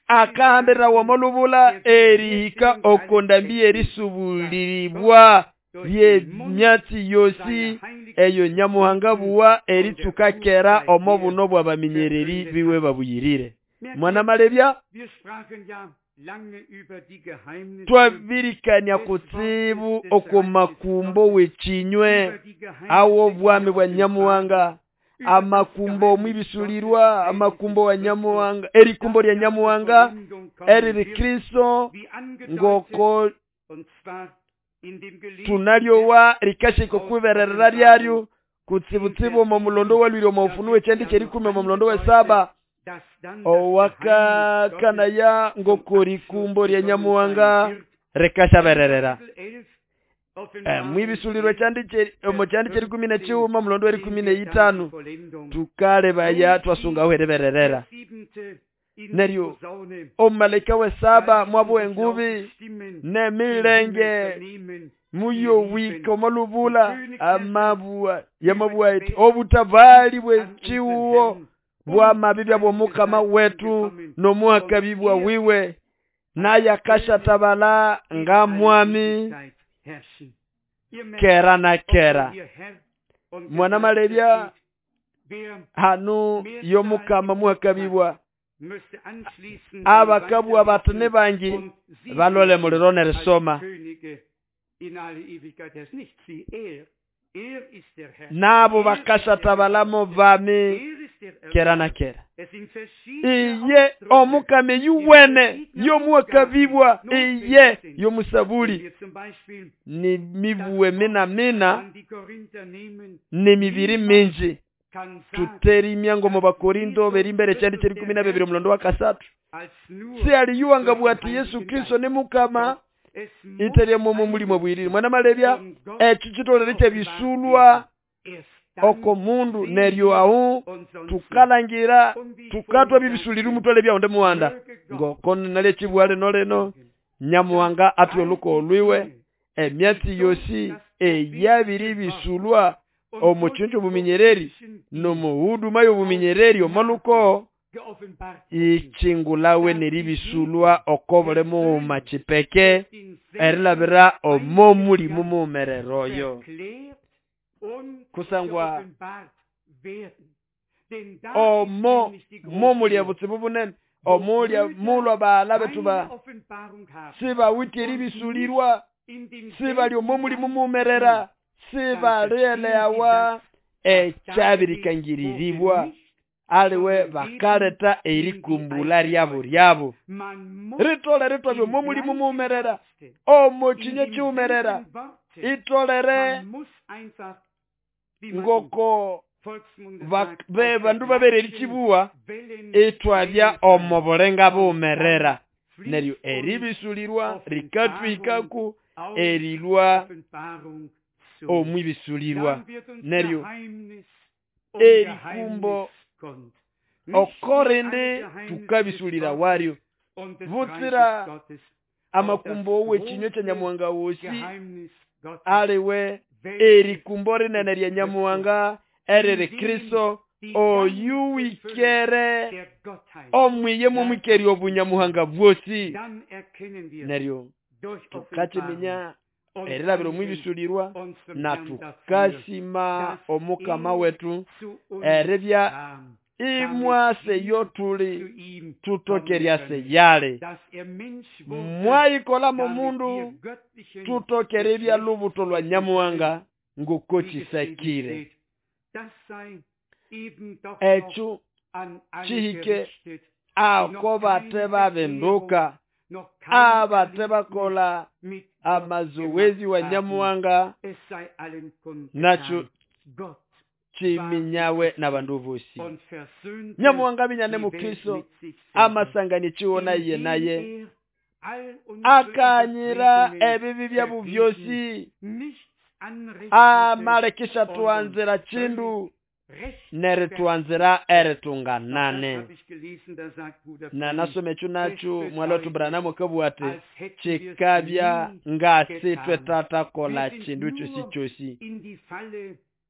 [SPEAKER 1] akahambira womolubula erihika okondambi erisubuliribwa ye myatsi yosi eyo Nyamuhanga buwa eritsukakera omo buno bw'abaminyereri biwe babuyirire mwana malebya twabirikania kutsibu okomakumbo wechinywe awo bwami bwa Nyamuhanga amakumbo mwibisulirwa amakumbo wa Nyamuhanga erikumbo lya Nyamuhanga eriri Kristo ngoko tunalyowa rikashiko kubererera lyaryo kutsibutsibu omo mulondo walwire omo ufunuwe kyendi kyerikumi omo mulondo wesaba owakakanaya ngoko rikumbo lya Nyamuhanga rikashabererera mwibisulirwe omo kyandi kyerikumi nekighuma omulondo werikumi neyithanu tukalebaya twasungaho eribererera. Neryo omumalaika wesaba mwabuha engubi nemilenge muyowika omolubula amabua yamabua iti obutabali bwechiwo bwamabibya bwomukama wetu nomuhakabibwa wiwe naye akashatabala nga mwami kera na kera. Mwana malebya hanu yomukama muhakabibwa abakabwa batene bangi balole muliro nerisoma nabo bakashatabala bami kera na kera. Iye omukame yuwene yomuhakabibwa iye yomusabuli ni mibuwe mina mina ni mibiri minji tuterimya ngo mu Bakorinto berimbere kyandi kyerikumi na bibiri omulondo wa kasatu si aliyuwanga bwati Yesu Kristo ni mukama iterye momo mulimo bwiriri. Mwana malebya ekyo kitolere kyebisulwa oko mundu neryo ahu tukalangira tukatwa bibisulira umutwale byawonde muwanda ngoko nalye kibwale noleno Nyamuhanga atwe oluko olwiwe emyatsi yosi eyabiri bisulwa omuchunju obuminyereri nomuhuduma y'obuminyereri omoluko ichingulawe neribisulwa okobole muuma chipeke erilabira omo mulimu mumereroyo kusangwa omo momulya butsibu bunene omulya mulwa bala betu ba sibawitye eribisulirwa sibali omo mulimu mumerera sibalielewa ekyabirikangiriribwa aliwe bakaleta erikumbula ryabo ryabo ritole ritwabyo omo mulimu mumerera omo kinye kiwumerera itolere ngoko bandu babere erikibuwa itwabya omo bulenga bumerera neryo eribisulirwa rikatwikaku erilwa omwibisulirwa neryo erikumbo okorende tukabisulira waryo butsira amakumbo wekinywe kya Nyamuhanga wosi aliwe erikumbo rinene rya Nyamuhanga eriri Kristo oyuwikere omwiye mumwikeri obunyamuhanga bwosi neryo tukakiminya erilabira omwibisulirwa na tukasima omukama wetu eribya imwase yotuli tutokeryase yale mwayikola mumundu tutokerebya lubuto lwa Nyamuhanga ngoko kisekire ekyo kihike ako bate babenduka abate bakola amazoezi wa Nyamuhanga nakyo kiminyawe n'abandu bosi. Nyamuhanga binyane mu Kristo amasangani chiwona iye naye akanyira ebibi byabo byosi amalekisha tuanzira chindu neritwanzira eritunganane. Na nasome ekyo nakyo mwalotu Branham kabwate kikabya ngasitwe tatakola chindu kyosi kyosi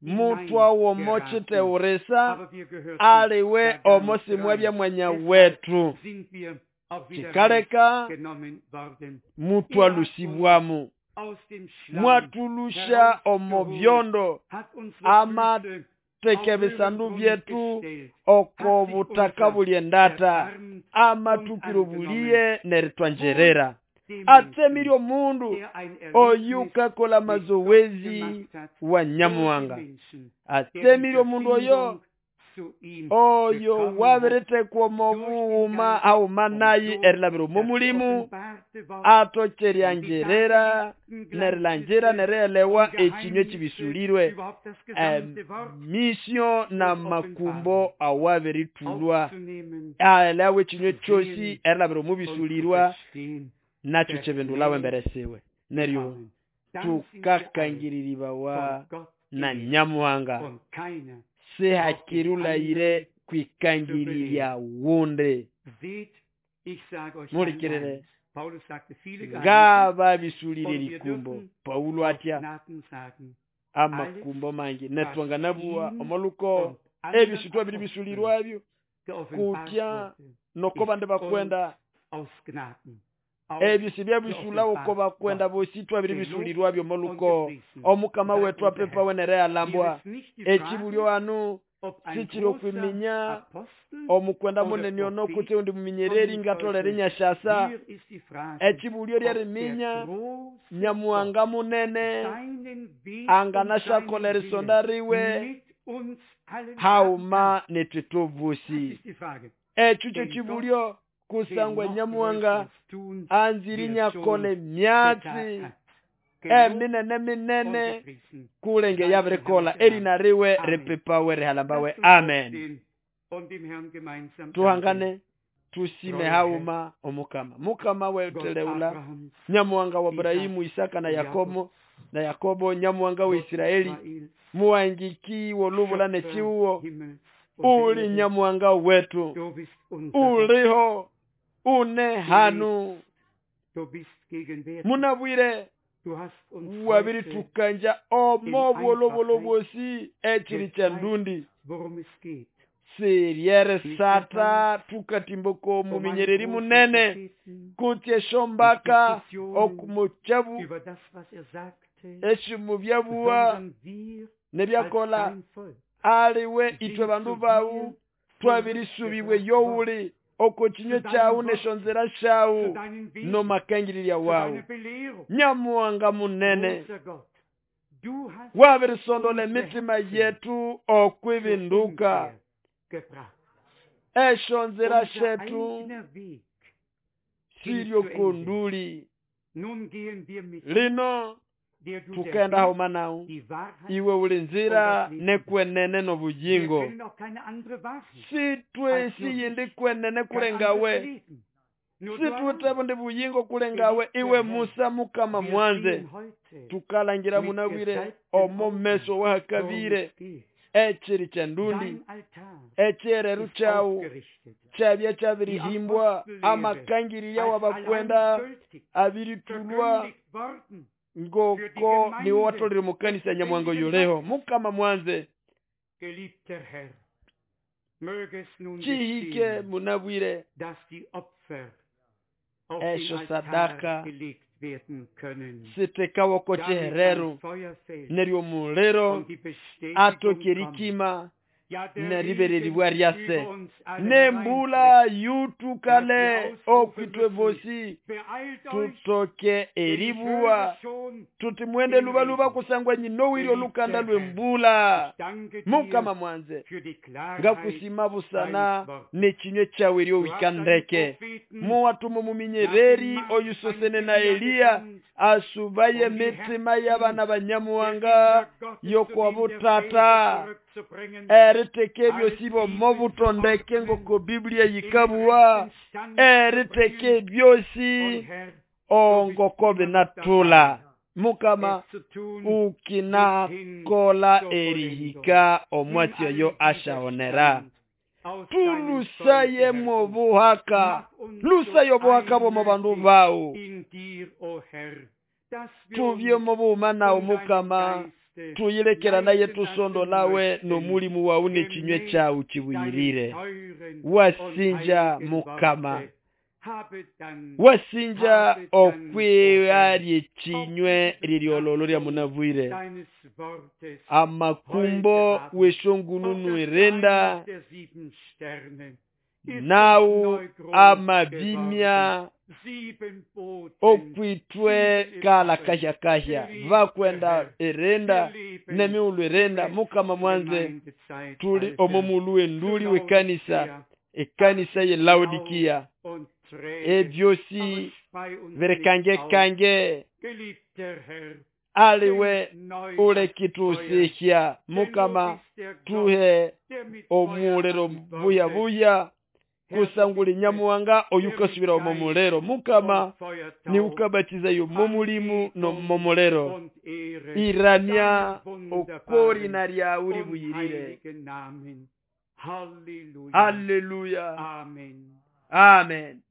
[SPEAKER 1] mutwa womo chiteuresa aliwe omosi mwabya mwanya wetu kikaleka mutwa lusibwamu mwatulusha omo byondo amateke bisandu byetu oko butaka buli endata amatukiro buliye neritwanjerera atsemiryo mundu oyukakola mazowezi wa Nyamuhanga atsemiryo mundu oyo oyo wabiretekwa omubughuma aumanayi erilabira omu mulimu atokeryangerera nerilangira nerielewa ekinywe kibisulirwe emisio na makumbo awabiritulwa aelewe ekinywe kyosi erilabira omu bisulirwa Nakyo kibindulawe embere siwe. Neryo tukakangiriribawa na Nyamuhanga sihakirulayire kwikangirirya wundi. Mulikirire ngababisulire likumbo. Paulo atya amakumbo mangi netwanganabuwa omoluko ebisutwa biri bisulirwabyo kutya noko bandi bakwenda ebyo sibyabisulao ko bakwenda bosi twabiri bisulirwabyo omoluko omukama wetu apepa wenere alambwa ekibulyo anu sikiri okwiminya omukwenda munene ono kutse undi muminyereri ngatolere nyashasa ekibulyo lyeriminya Nyamuhanga munene anganashakolera isonda riwe hauma netwe tubusi. Ekyo kyo kibulyo kusangwa Nyamuhanga anziri nyakole myatsi eminene minene kulenge yabirikola erina riwe ripipawe rihalambawe. Amen. Tuhangane tusime hauma omukama. Mukama weteleula Nyamuhanga wa Ibrahimu, Isaka na Yakobo na Yakobo Nyamuhanga wa Israeli muwangiki wolubula nechiuwo uli Nyamuhanga wetu uliho une hanu munabwire wabiri tukanja omo bwolobolo bwosi ekiri kya ndundi siryere sata tukatimboko muminyereri munene kutye shombaka okumuchabu eshimubyabuwa nebyakola aliwe itwe bandu bawu twabirisubibwe yowuli oko kinywe kyawu neshonzera shawu no makangirirya wawu. Nyamuhanga munene wabirisondola emitima yetu okwibinduka eshonzera shetu siryo kunduli lino tukenda hauma nawu iwe uli nzira nekwenene nobuyingo sitwe siyindi kwenene kulengawe situte bundi buyingo kulengawe iwe Musa mukama mwanze tukalangira munabwire omo meso wahakabire ekiri kya ndundi ekyereru kyawu kyabya kyabirihimbwa amakangirya wabakwenda abiritulwa ngoko niwe watolere mukanisa Nyamuhanga yoleho. Mukama mwanze chihike munabwire esho sadaka sitekawoko chihereru neryo mulero atokerikima neribereribwa ryase nembula yutukale okwitwe bosi tutoke eribuwa tuti mwende lubaluba kusangwa nyinowiryo lukanda lwembula. Mukama mwanze ngakusima busana nekinywe kyawe eryo wikandeke muwatumo muminyereri oyusosene na Eliya asubaye mitima y'abana banyamuhanga yokwabutata eriteke ebyosi mobutondeke ngoko Biblia yikabuwa eriteke byosi ongoko binatula. Mukama ukinakola erihika omwatsi oyo ashaonera tulusaye mobuhaka lusaye obuhaka bwomo bandu bawu tubye mobuma nawu Mukama tuyilekera naye tusondolawe nomulimu wawu nekinywe kyawu kibuyirire. Wasinja Mukama wasinja okwiyarye ekinywe liryololo lya munabwire amakumbo weshongununu erenda nawu amabimya okwitwe kala kahya kahya vakwenda erenda nemiulu erenda. Mukama mwanze tuli omomulu enduli wekanisa ekanisa ye Laodikia ebyosi verekange kange aliwe ule kitusihya. Mukama tuhe omulero buya buya Kusanguli nyamuwanga oyukasubira omo muliro mukama
[SPEAKER 2] und Feuertaufe,
[SPEAKER 1] niukabatizaya omo mulimu nomo muliro
[SPEAKER 2] und Ehre
[SPEAKER 1] iramya
[SPEAKER 2] deinem
[SPEAKER 1] okorina
[SPEAKER 2] wunderbaren
[SPEAKER 1] lyawu
[SPEAKER 2] und
[SPEAKER 1] libuyirire
[SPEAKER 2] heiligen Namen. Halleluja.
[SPEAKER 1] haleluya
[SPEAKER 2] Amen.
[SPEAKER 1] amen.